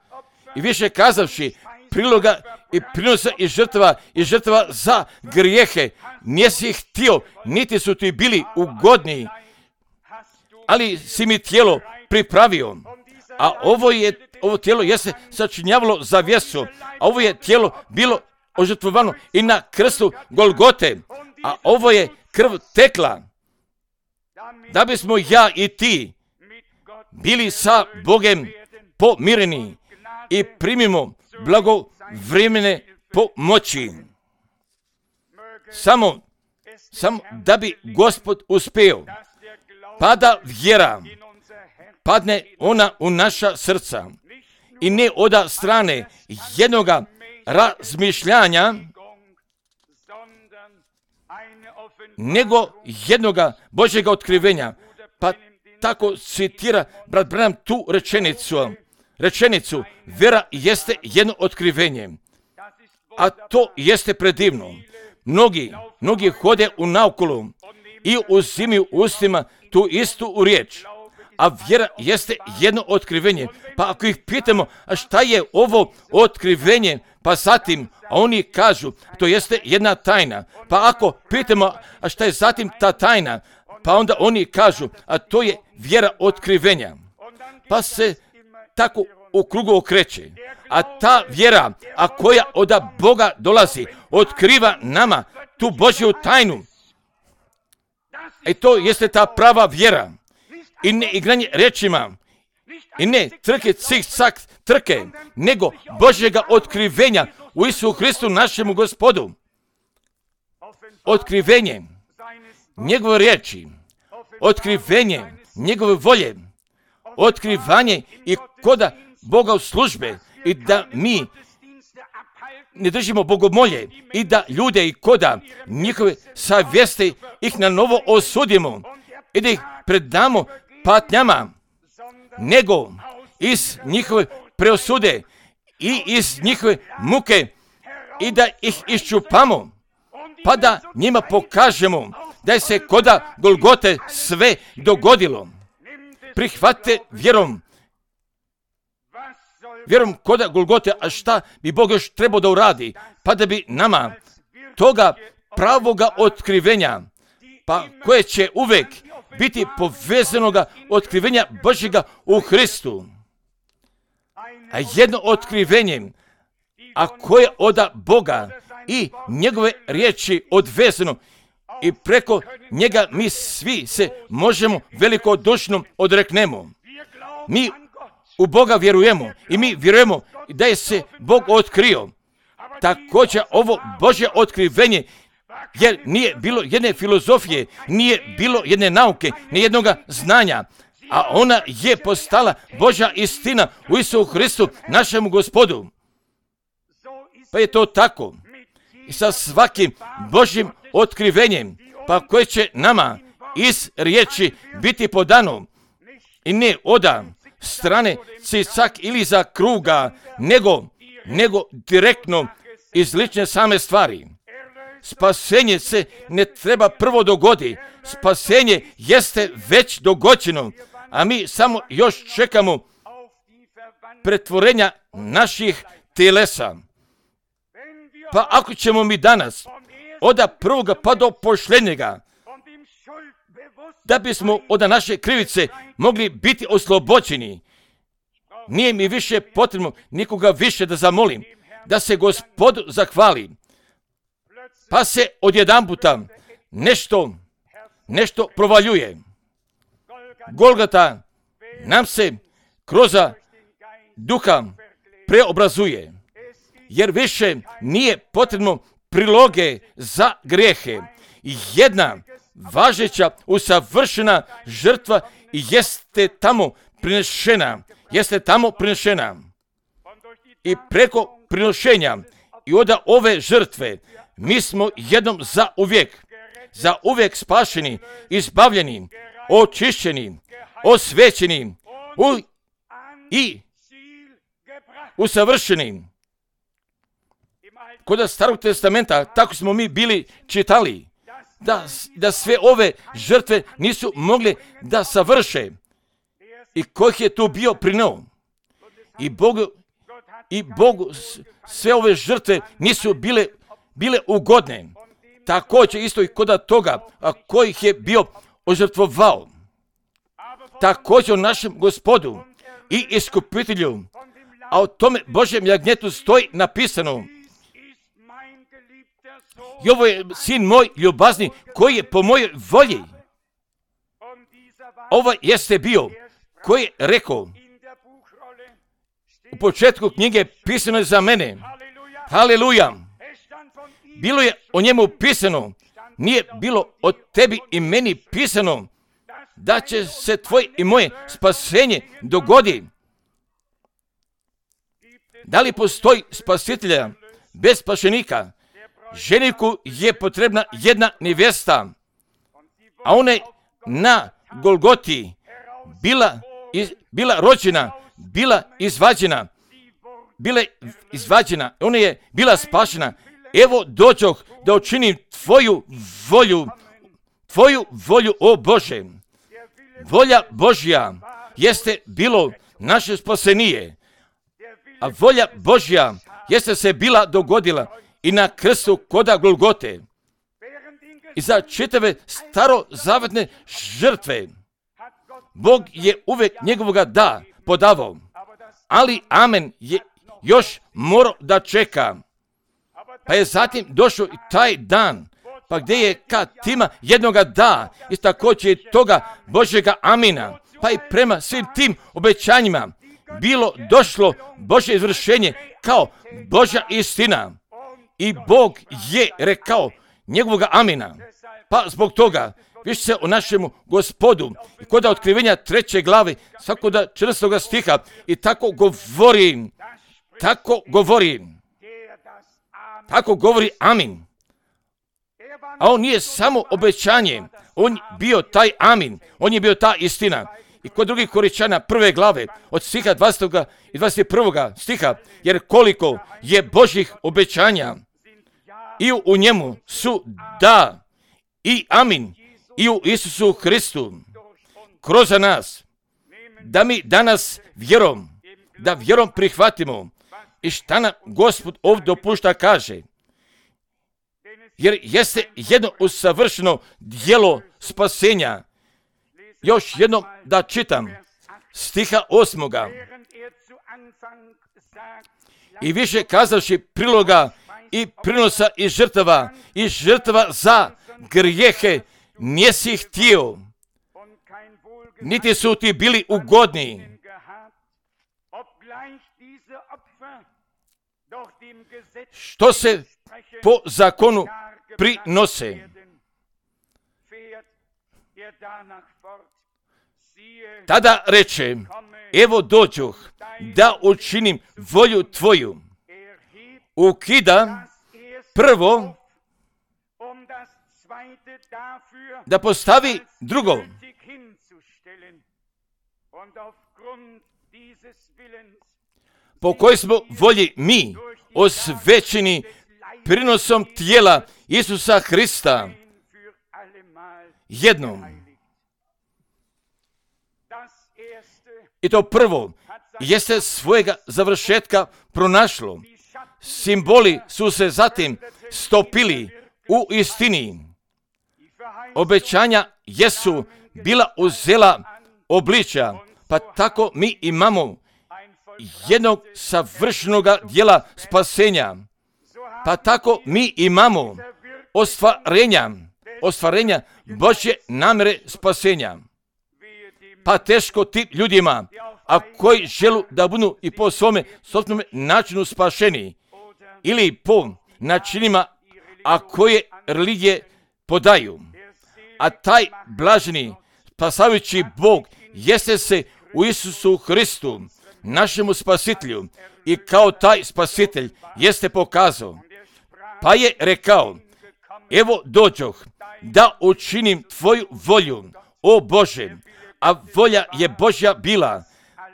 I više kazavši, priloga i prinosa i žrtva za grijehe. Nisi htio, niti su ti bili ugodni, ali si mi tijelo pripravio. A ovo tijelo jeste sačinjavalo za vjesu, a ovo je tijelo bilo ožrtvovano i na krstu Golgote, a ovo je krv tekla, da bismo ja i ti bili sa Bogem pomireni i primimo blagovremene pomoći. Samo da bi Gospod uspeo, pada vjera, padne ona u naša srca i ne oda strane jednoga razmišljanja, nego jednoga Božjega otkrivenja. Pa tako citira brat Branham tu rečenicu, vjera jeste jedno otkrivenje, a to jeste predivno. Mnogi hode u naokolo i uzimaju ustima tu istu riječ, a vjera jeste jedno otkrivenje. Pa ako ih pitamo, a šta je ovo otkrivenje, pa zatim, a oni kažu, to jeste jedna tajna. Pa ako pitamo, a šta je zatim ta tajna, pa onda oni kažu, a to je vjera otkrivenja. Pa se tako u krugu okreće. A ta vjera, a koja od Boga dolazi, otkriva nama tu Božju tajnu. I to jeste ta prava vjera. I ne igranje rečima, i ne trke, cik-cak trke, nego Božjega otkrivenja u Isusu Hristu našemu Gospodu. Otkrivenje njegove riječi, otkrivenje njegove volje, otkrivanje i koda Boga u službe, i da mi ne držimo bogomolje i da ljude i koda njihove savjesti ih na novo osudimo i da ih predamo patnjama, nego iz njihove preosude i iz njihove muke i da ih iščupamo, pa da njima pokažemo da je se koda Golgote sve dogodilo. Prihvatite vjerom koda Golgote, a šta bi Bog još trebao da uradi, pa da bi nama toga pravoga otkrivenja, pa koje će uvek biti povezanoga otkrivenja Božjega u Hristu, a jedno otkrivenje, a koje od Boga i njegove riječi odvezano, i preko njega mi svi se možemo velikodušno odreknemo. Mi u Boga vjerujemo i mi vjerujemo da je se Bog otkrio. Također ovo Božje otkrivenje, jer nije bilo jedne filozofije, nije bilo jedne nauke, ni jednoga znanja, a ona je postala Božja istina u Isusu Hristu našemu Gospodu. Pa je to tako i sa svakim Božjim otkrivenjem, pa koje će nama iz riječi biti podano, i ne oda strane cicak ili za kruga, nego direktno iz lične same stvari. Spasenje se ne treba prvo dogodi. Spasenje jeste već dogođeno, a mi samo još čekamo pretvorenja naših telesa. Pa ako ćemo mi danas od prvoga pa do posljednjega, da bismo od naše krivice mogli biti oslobođeni, nije mi više potrebno nikoga više da zamolim, da se Gospodu zahvali. Pa se odjedanputa nešto provaljuje. Golgota nam se kroz duha preobrazuje, jer više nije potrebno priloge za grijehe. Jedna važeća, usavršena žrtva jeste tamo prinešena. I preko prinošenja i od ove žrtve mi smo jednom za uvijek spašeni, izbavljeni, očišćeni, osvećeni i usavršeni. Kod Starog testamenta tako smo mi bili čitali, da sve ove žrtve nisu mogli da savrše. I kojih je tu bio prinuo. I i Bogu sve ove žrtve nisu bile ugodne. Također isto i kod toga koji ih je bio ožrtvovao. Također o našem Gospodu i Iskupitelju, a o tome Božjem jagnjetu stoji napisano: i ovo je sin moj ljubazni koji je po mojoj volji. Ovo jeste bio koji je rekao u početku knjige, pisano je za mene. Haleluja! Bilo je o njemu pisano, nije bilo o tebi i meni pisano da će se tvoje i moje spasenje dogodi. Da li postoji spasitelja bez spašenika? Ženiku je potrebna jedna nevjesta, a ona je na Golgoti bila rođena, bila izvađena, ona je bila spašena. Evo dođoh da učinim tvoju volju, o Bože. Volja Božja jeste bilo naše spasenije, a volja Božja jeste se bila dogodila i na krstu koda Golgote. I za čitave starozavetne žrtve Bog je uvijek njegovoga da podavao, ali amen je još morao da čeka. Pa je zatim došao i taj dan, pa gdje je kad ima jednoga da, i također je toga Božjega amina, pa i prema svim tim obećanjima bilo došlo Božje izvršenje kao Božja istina. I Bog je rekao njegovoga amina. Pa zbog toga više se o našemu Gospodu i kod otkrivenja 3. glave svakoga 14. stiha i tako govori amin. A on nije samo obećanje, on bio taj amin, on je bio ta istina. I kod drugih Korinćana 1. glave od stiha 20. i 21. stiha, jer koliko je Božjih obećanja i u njemu su da i amin i u Isusu Hristu kroz nas, da mi danas vjerom prihvatimo i šta nam Gospod ovdje dopušta kaže. Jer jeste jedno usavršeno djelo spasenja. Još jednom da čitam stiha 8. I više kazavši priloga i prinosa i žrtava za grijehe nisi htio, niti su ti bili ugodni. Što se po zakonu prinose. Tada reče, evo dođoh da učinim volju tvoju. Ukida prvo da postavi drugo. Po kojoj smo volji mi osvećeni prinosom tijela Isusa Hrista jednom. I to prvo jeste svojega završetka pronašlo. Simboli su se zatim stopili u istini. Obećanja jesu bila uzela obličja, pa tako mi imamo jednog savršenog djela spasenja. Pa tako mi imamo ostvarenja Božje namjere spasenja. Pa teško tim ljudima, a koji želu da budu i po svome sobstvenom načinu spašeni, ili po načinima, a koje religije podaju. A taj blaženi, spasavajući Bog, jeste se u Isusu Hristu, našemu spasitelju, i kao taj spasitelj jeste pokazao. Pa je rekao, evo dođoh da učinim tvoju volju, o Bože, a volja je Božja bila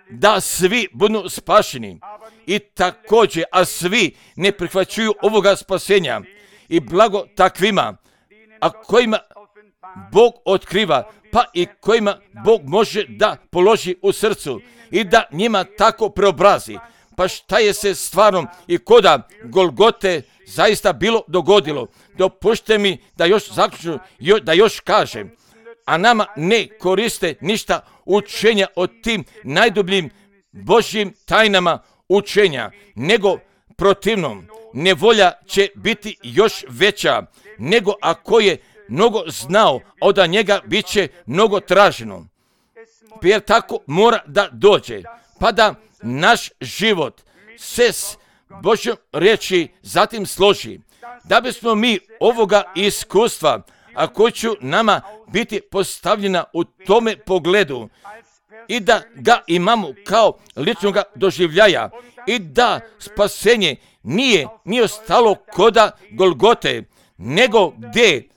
da svi budu spašeni i također, a svi ne prihvaćuju ovoga spasenja i blago takvima, a kojima Bog otkriva, pa i kojima Bog može da položi u srcu i da njima tako preobrazi, Pa šta je se stvarno i koda Golgote zaista bilo dogodilo? Dopušte mi da još zaključim, da još kažem, a nama ne koriste ništa učenja o tim najdubljim Božjim tajnama učenja, nego protivnom, nevolja će biti još veća, nego ako je mnogo znao, a od njega bit će mnogo traženo. Jer tako mora da dođe, pa da naš život se s Božjom riječi zatim složi, da bismo mi ovoga iskustva, a koji će nama biti postavljena u tome pogledu, i da ga imamo kao ličnoga doživljaja, i da spasenje nije ostalo koda Golgote, nego gdje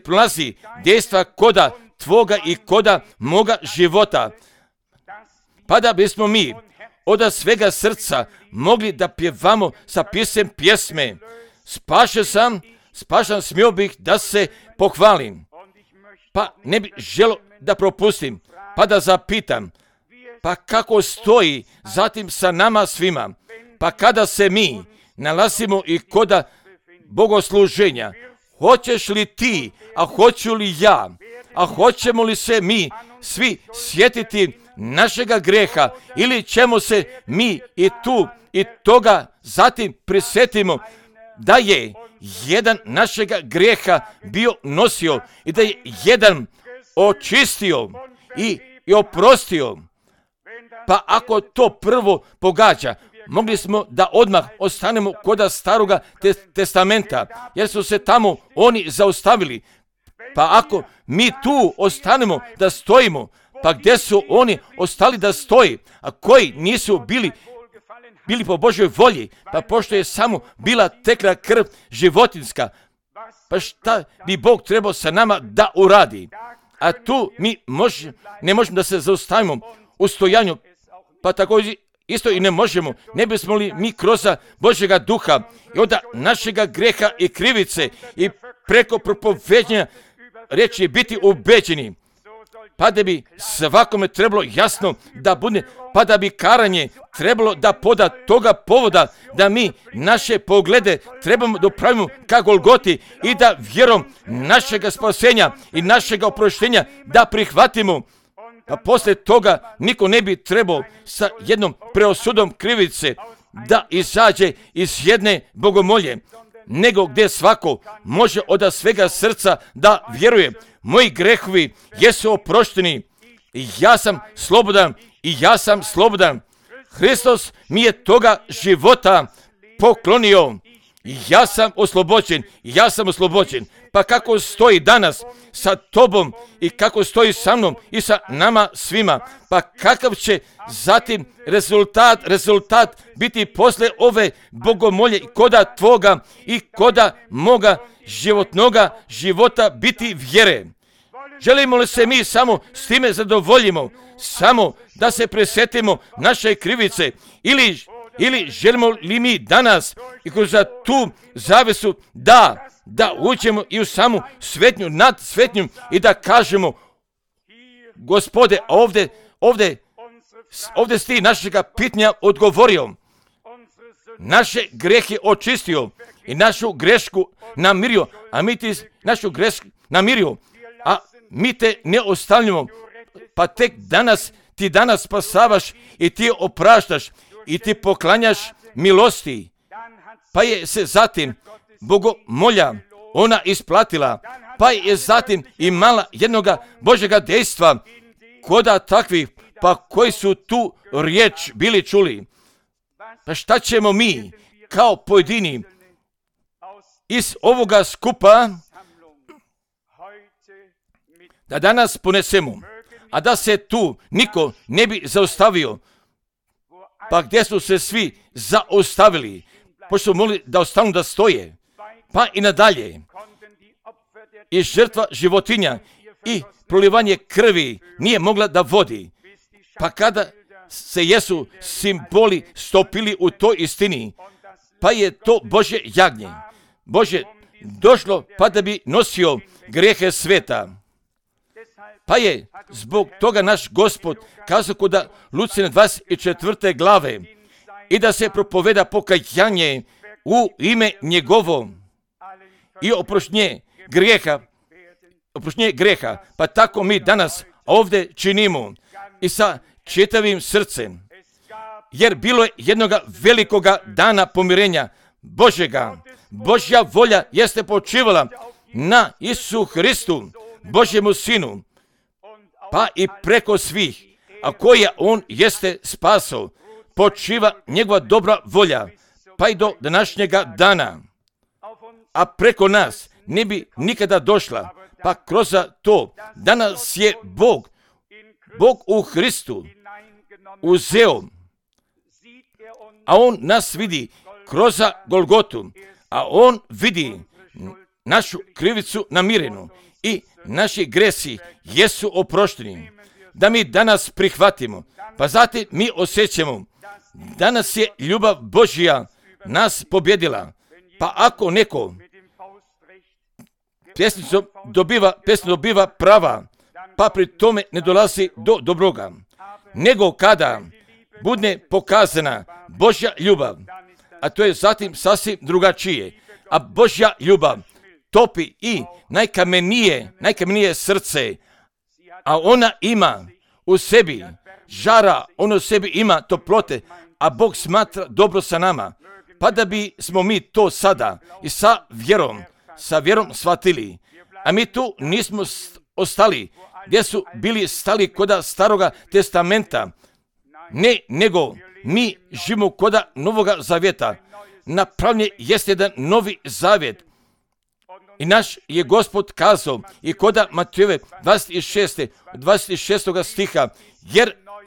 prolazi dejstva koda tvoga i koda moga života. Pa da bismo mi od svega srca mogli da pjevamo sa pisem pjesme. Spašen sam, smio bih da se pohvalim. Pa ne bih želio da propustim, pa da zapitam, pa kako stoji zatim sa nama svima, pa kada se mi nalazimo i koda bogosluženja, hoćeš li ti, a hoću li ja, a hoćemo li se mi svi sjetiti našega greha, ili ćemo se mi i tu i toga zatim prisjetimo da je jedan našega greha bio nosio i da je jedan očistio i oprostio. Pa ako to prvo pogađa, mogli smo da odmah ostanemo koda staroga testamenta, jer su se tamo oni zaustavili. Pa ako mi tu ostanemo da stojimo, pa gdje su oni ostali da stoji, a koji nisu bili po Božoj volji, pa pošto je samo bila tekla krv životinska, pa šta bi Bog trebao sa nama da uradi? A tu mi ne možemo da se zaustavimo u stojanju, pa također isto i ne možemo, ne bismo li mi kroz Božjega duha i onda našega greha i krivice i preko propoveđenja riječi biti ubeđeni, pa da bi svakome trebalo jasno da bude, pa da bi karanje trebalo da poda toga povoda, da mi naše poglede trebamo da upravimo ka Golgoti i da vjerom našega spasenja i našega oproštenja da prihvatimo. A poslije toga niko ne bi trebao sa jednom preosudom krivice da izađe iz jedne bogomolje, nego gdje svako može od svega srca da vjeruje. Moji grehovi jesu oprošteni i ja sam slobodan. Hristos mi je toga života poklonio. Ja sam oslobođen. Pa kako stoji danas sa tobom i kako stoji sa mnom i sa nama svima, pa kakav će zatim rezultat biti posle ove bogomolje koda tvoga i koda moga životnoga života biti vjere. Želimo li se mi samo s time zadovoljimo, samo da se presjetimo naše krivice, ili želimo li mi danas i kroz tu zavesu da uđemo i u samu svetnju nad svetnjom i da kažemo, Gospode, ovdje si ti našega pitanja odgovorio, naše grehe očistio i našu grešku namirio, a mi ti našu grešku namirio, a mi te ne ostavljamo, pa tek ti danas spasavaš i ti opraštaš i ti poklanjaš milosti. Pa je se zatim bogomolja ona isplatila, pa je zatim imala jednoga Božjega dejstva koda takvih, pa koji su tu riječ bili čuli. Pa šta ćemo mi kao pojedini iz ovoga skupa da danas ponesemo, a da se tu niko ne bi zaustavio, pa gdje su se svi zaustavili, pošto su mogli da ostanu da stoje, pa i nadalje. I žrtva životinja i prolivanje krvi nije mogla da vodi, pa kada se jesu simboli stopili u toj istini, pa je to Božje jagnje, Bože došlo pa da bi nosio grehe sveta. Pa je zbog toga naš Gospod kazao kod Lucijine 24. glave, i da se propoveda pokajanje u ime njegovo i oproštenje grijeha, pa tako mi danas ovdje činimo i sa čitavim srcem, jer bilo je jednoga velikoga dana pomirenja Božjega. Božja volja jeste počivala na Isusu Hristu, Božjemu Sinu, pa i preko svih, a koja on jeste spasao, počiva njegova dobra volja, pa i do današnjega dana. A preko nas ne bi nikada došla, pa kroz to danas je Bog u Hristu uzeo, a on nas vidi kroz Golgotu, a on vidi našu krivicu namirenu i naši gresi jesu oprošteni, da mi danas prihvatimo, pa zatim mi osjećamo, danas je ljubav Božja nas pobjedila, pa ako neko pjesnicom dobiva prava, pa pri tome ne dolazi do dobroga, nego kada bude pokazana Božja ljubav, a to je zatim sasvim drugačije, a Božja ljubav topi i najkamenije srce, a ona ima u sebi žara, ona u sebi ima toplote, a Bog smatra dobro sa nama, pa da bi smo mi to sada i sa vjerom shvatili, a mi tu nismo ostali gdje su bili stali koda Staroga testamenta, ne, nego mi živimo koda Novoga zavjeta. Napravljen jest jedan novi zavjet i naš je Gospod kazao i koda Matejove 26. stiha,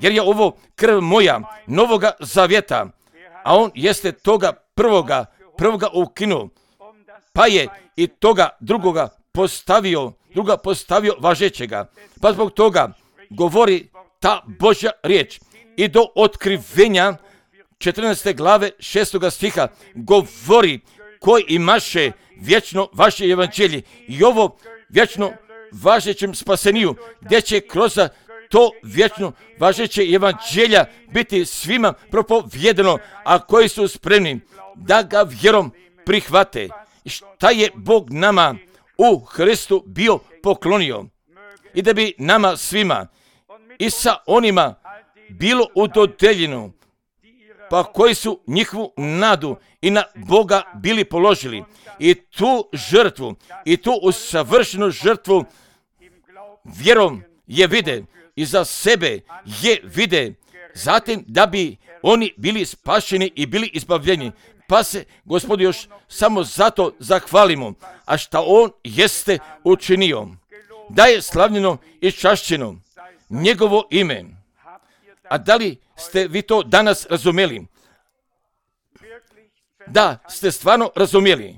jer je ovo krv moja Novoga zavjeta, a on jeste toga prvoga ukinuo, pa je i toga druga postavio važećega. Pa zbog toga govori ta Božja riječ i do otkrivenja 14. glave 6. stiha govori koji imaše vječno vaše evanđelje i ovo vječno važećem spaseniju, gdje će kroz to vječno važeće evanđelja biti svima propovjedano, a koji su spremni da ga vjerom prihvate. I šta je Bog nama u Hristu bio poklonio i da bi nama svima i sa onima bilo udodeljeno, pa koji su njihovu nadu i na Boga bili položili i tu žrtvu i tu usavršenu žrtvu vjerom je vide i za sebe je vide, zatim da bi oni bili spašeni i bili izbavljeni. Pa se Gospodu još samo zato zahvalimo, a šta on jeste učinio, da je slavljeno i čašćeno njegovo ime. A da li ste vi to danas razumjeli? Da ste stvarno razumjeli.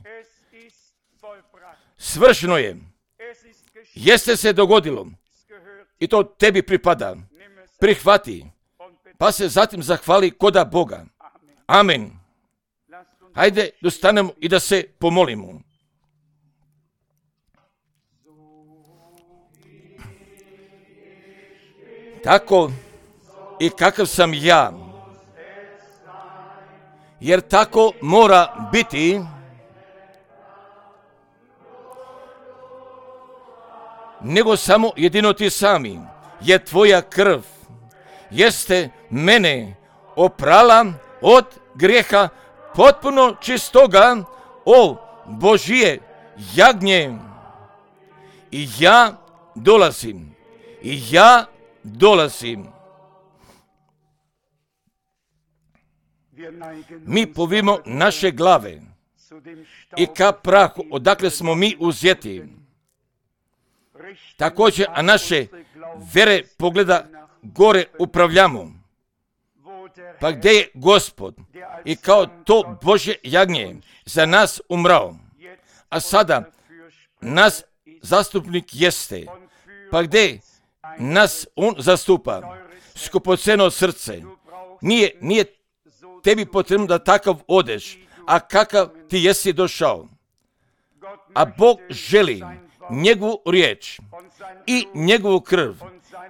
Svršeno je. Jeste se dogodilo. I to tebi pripada. Prihvati. Pa se zatim zahvali koda Boga. Amen. Hajde da stanemo i da se pomolimo. Tako i kakav sam ja, jer tako mora biti, nego samo jedino ti sami, jer tvoja krv jeste mene oprala od grijeha potpuno čistoga, o Božije jagnje. I ja dolazim. Mi povimo naše glave i ka prahu, odakle smo mi uzeti. Također, a naše vere pogleda gore upravljamo. Pa gdje je Gospod i kao to Božje jagnje za nas umrao, a sada nas zastupnik jeste, pa gdje nas on zastupa, skupoceno srce, nije tebi potrebno da takav odeš, a kakav ti jesi došao. A Bog želi njegovu riječ i njegovu krv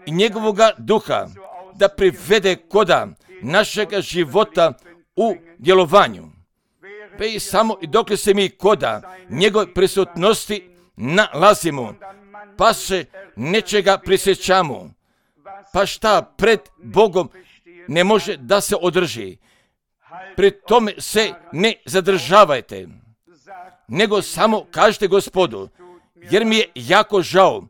i njegovoga duha da privede koda našega života u djelovanju. Pa i samo i dok se mi koda njegove prisutnosti nalazimo, pa se nečega prisjećamo, pa šta pred Bogom ne može da se održi. Pri tome se ne zadržavajte, nego samo kažete Gospodu, jer mi je jako žao,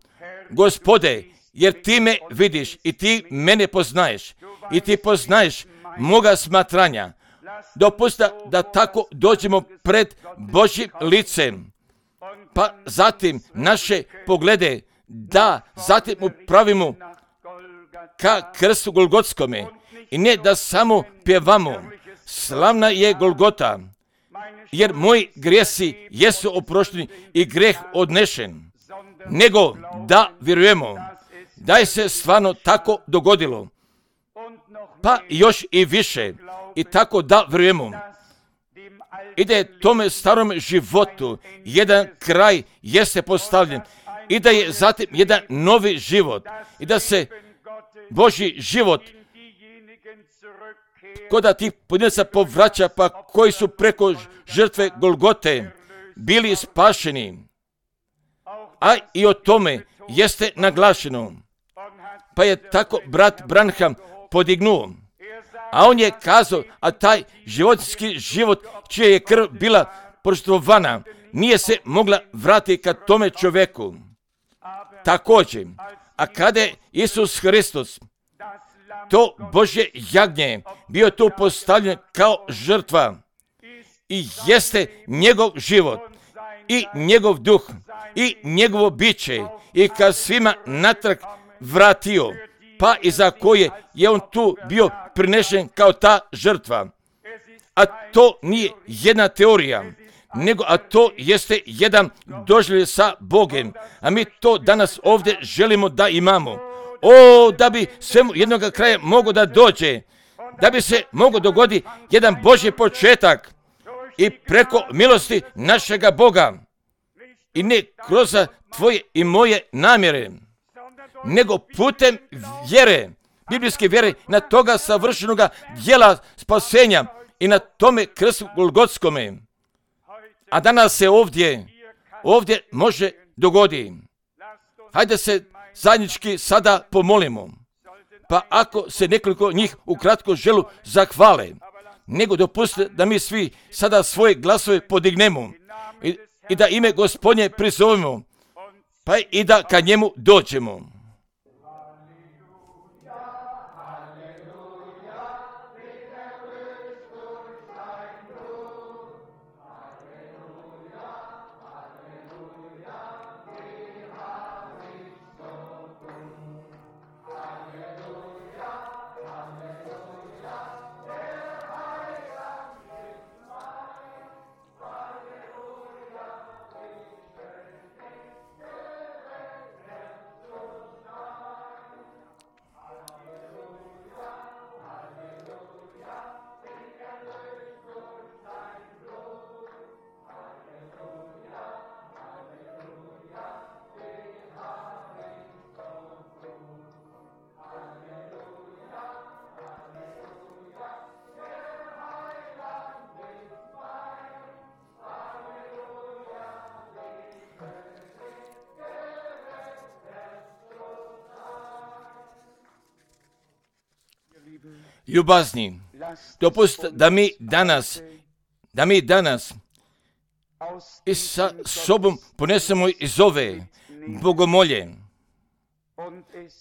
Gospode, jer ti me vidiš i ti mene poznaješ i ti poznaješ moga smatranja. Dopusti da tako dođemo pred Božjim licem, pa zatim naše poglede da zatim upravimo ka krstu Golgotskome i ne da samo pjevamo slavna je Golgota, jer moji grijesi jesu oprošteni i greh odnešen, nego da vjerujemo da je se stvarno tako dogodilo, pa još i više, i tako da vjerujemo i da je tome starom životu jedan kraj jeste postavljen i da je zatim jedan novi život i da se Božji život koda tih pojedinaca povraća, pa koji su preko žrtve Golgote bili spašeni. A i o tome jeste naglašeno. Pa je tako brat Branham podignuo. A on je kazao, a taj životinjski život čija je krv bila požrtvovana, nije se mogla vratiti ka tome čovjeku. Također, a kada je Isus Hristos, to Božje jagnje, bio tu postavljen kao žrtva i jeste njegov život i njegov duh i njegovo biće i kad svima natrag vratio, pa i za koje je on tu bio prinešen kao ta žrtva. A to nije jedna teorija, nego a to jeste jedan doživljaj sa Bogom, a mi to danas ovdje želimo da imamo. O, da bi svemu jednoga kraja mogo da dođe, da bi se mogo dogoditi jedan Božji početak i preko milosti našega Boga i ne kroz tvoje i moje namjere, nego putem vjere, biblijske vjere, na toga savršenoga djela spasenja i na tome krstu Golgotskome. A danas se ovdje može dogoditi. Hajde se zajednički sada pomolimo. Pa ako se nekoliko njih ukratko želu zahvale, nego dopustite da mi svi sada svoje glasove podignemo i da ime Gospodnje prizovemo, pa i da ka njemu dođemo. Ljubazni, dopustite da mi danas i sa sobom ponesemo iz ove bogomolje,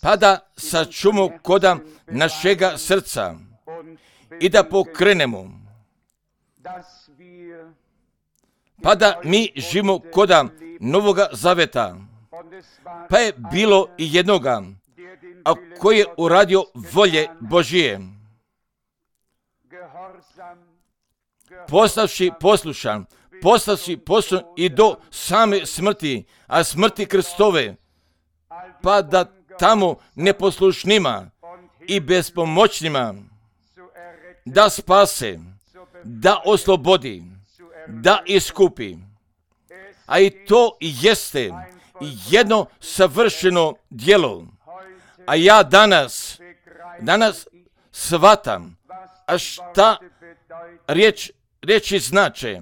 pa da sačuvamo koda našega srca i da pokrenemo, pa da mi živimo koda Novoga Zaveta. Pa je bilo i jednoga, a koji je uradio volje Božije, postavši poslušan i do same smrti, a smrti Kristove, pa da tamo neposlušnima i bespomoćnima da spase, da oslobodi, da iskupi. A i to jeste jedno savršeno djelo. A ja danas shvatam, a šta riječi znače: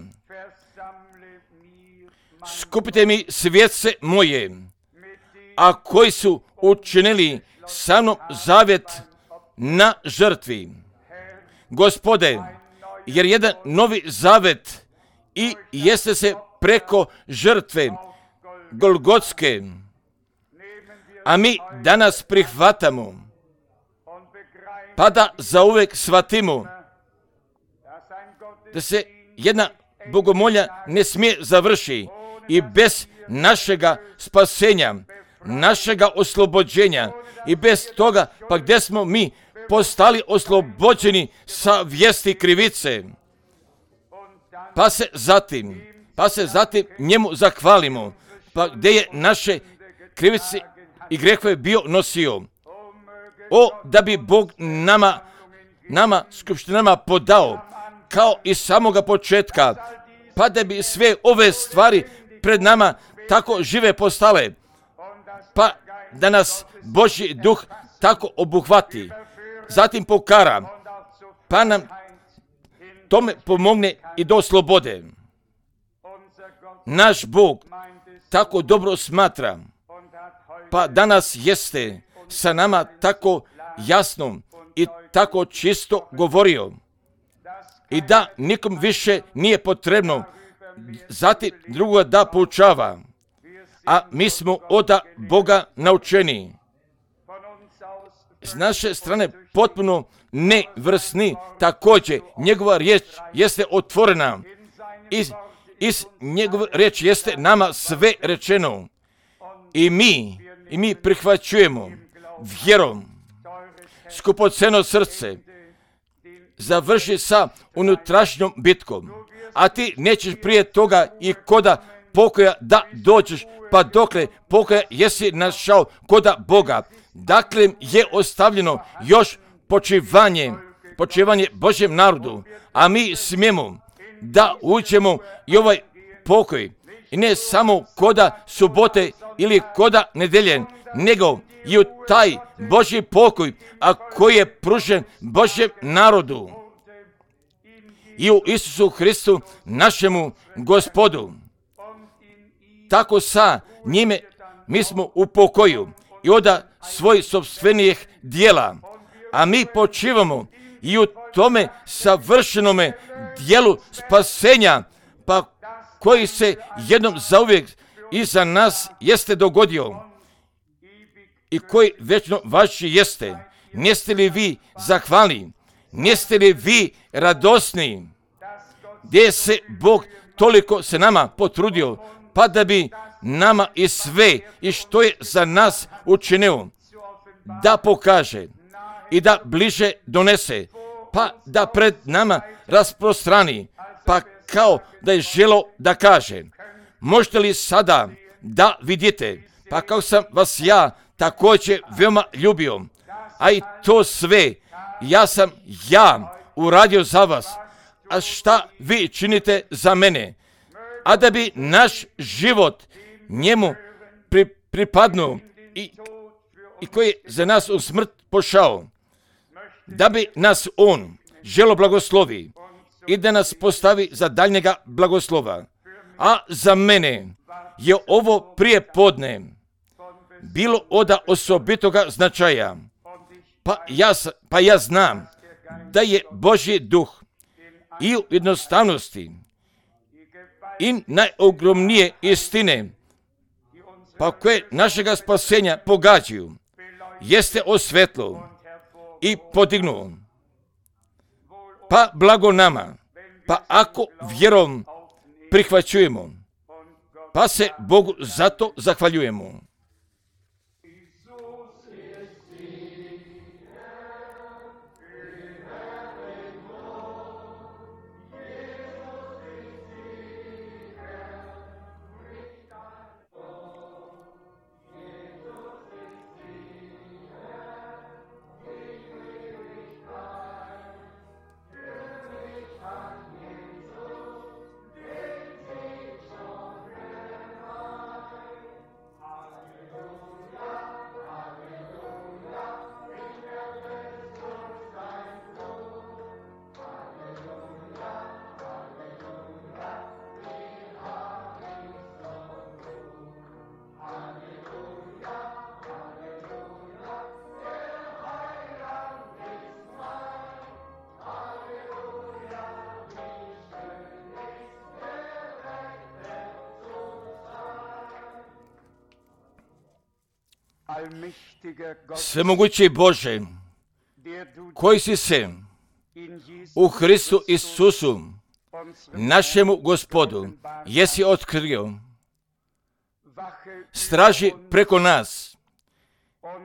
skupite mi svjetce moje, a koji su učinili sa mnom zavjet na žrtvi. Gospode, jer jedan novi zavjet i jeste se preko žrtve Golgotske, a mi danas prihvatamo, pa da zauvek shvatimo da se jedna bogomolja ne smije završi i bez našega spasenja, našega oslobođenja i bez toga, pa gdje smo mi postali oslobođeni sa vijesti krivice, pa se zatim njemu zahvalimo, pa gdje je naše krivice i grehove bio nosio. O, da bi Bog nama skupštinama podao, kao i samoga početka, pa da bi sve ove stvari pred nama tako žive postale, pa da nas Božji duh tako obuhvati, zatim pokara, pa nam tome pomogne i do slobode. Naš Bog tako dobro smatra, pa danas jeste sa nama tako jasno i tako čisto govorio, i da nikom više nije potrebno zatim drugoga da poučava, a mi smo od Boga naučeni. S naše strane potpuno nevrsni, također njegova riječ jeste otvorena, iz njegove riječi jeste nama sve rečeno, i mi prihvaćujemo vjerom. Skupoceno srce završi sa unutrašnjom bitkom, a ti nećeš prije toga i koda pokoja da dođeš, pa dokle pokoja jesi našao koda Boga. Dakle je ostavljeno još počivanje Božjem narodu, a mi smijemo da uđemo i ovaj pokoj, i ne samo koda subote ili koda nedelje, nego i u taj Božji pokoj, a koji je pružen Božjem narodu i u Isusu Hristu našemu Gospodu. Tako sa njime mi smo u pokoju i od svojih sopstvenih dijela, a mi počivamo i u tome savršenome dijelu spasenja, pa koji se jednom zauvijek iza nas jeste dogodio i koji večno vaši jeste. Niste li vi zahvalni? Niste li vi radosni? Gdje se Bog toliko se nama potrudio, pa da bi nama i sve i što je za nas učinio da pokaže i da bliže donese, pa da pred nama rasprostrani, pa kao da je želo da kaže: možete li sada da vidite, pa kako sam vas ja također veoma ljubio, a i to sve sam uradio za vas, a šta vi činite za mene, a da bi naš život njemu pripadnuo i koji je za nas u smrt pošao, da bi nas on želo blagoslovi i da nas postavi za daljnjega blagoslova. A za mene je ovo prije podne bilo od osobitoga značaja, pa ja znam da je Božji duh i u jednostavnosti i najogromnije istine, pa koje našega spasenja pogađaju, jeste osvetlo i podignuo. Pa blago nama, pa ako vjerom prihvaćujemo, pa se Bogu zato zahvaljujemo. Svemogući Bože, koji si se u Hristu Isusu, našemu Gospodu, jesi otkrio, straži preko nas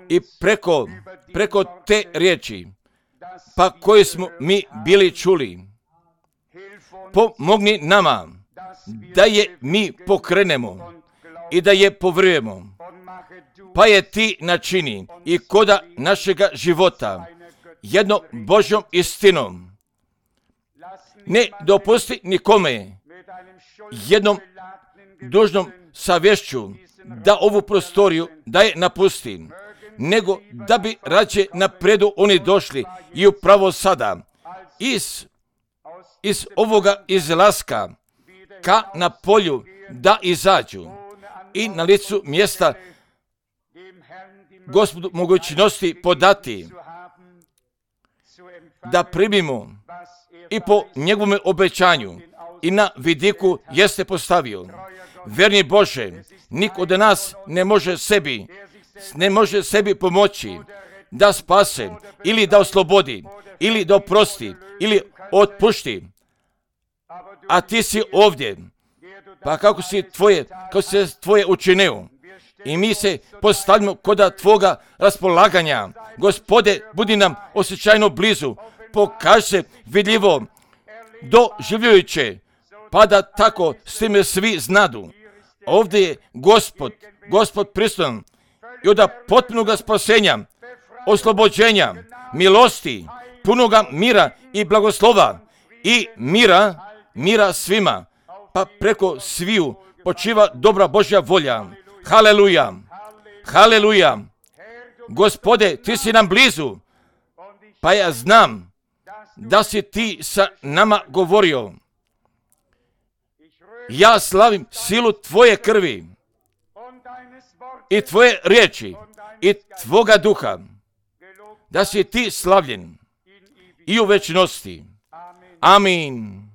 i preko te riječi, pa koje smo mi bili čuli. Pomogni nama da je mi pokrenemo i da je povjerujemo, pa je ti načini i koda našega života jednom Božjom istinom. Ne dopusti nikome jednom dužnom savješću da ovu prostoriju da je napusti, nego da bi rađe napredu oni došli i upravo sada iz ovoga izlaska ka na polju da izađu i na licu mjesta Gospodu mogućnosti podati, da primimo i po njegovome obećanju i na vidiku jeste postavio. Verni Bože, niko od nas ne može sebi pomoći da spase ili da oslobodi ili da oprosti ili otpušti. A ti si ovdje, pa kako si tvoje učinio. I mi se postavljamo koda tvoga raspolaganja. Gospode, budi nam osjećajno blizu, pokaži se vidljivo, doživljujuće, pa da tako s time svi znadu. Ovdje je Gospod prisutan i od potpunoga spasenja, oslobođenja, milosti, punoga mira i blagoslova i mira svima, pa preko sviju počiva dobra Božja volja. Haleluja, haleluja. Gospode, ti si nam blizu, pa ja znam da si ti sa nama govorio. Ja slavim silu tvoje krvi i tvoje riječi i tvoga duha, da si ti slavljen i u večnosti. Amin.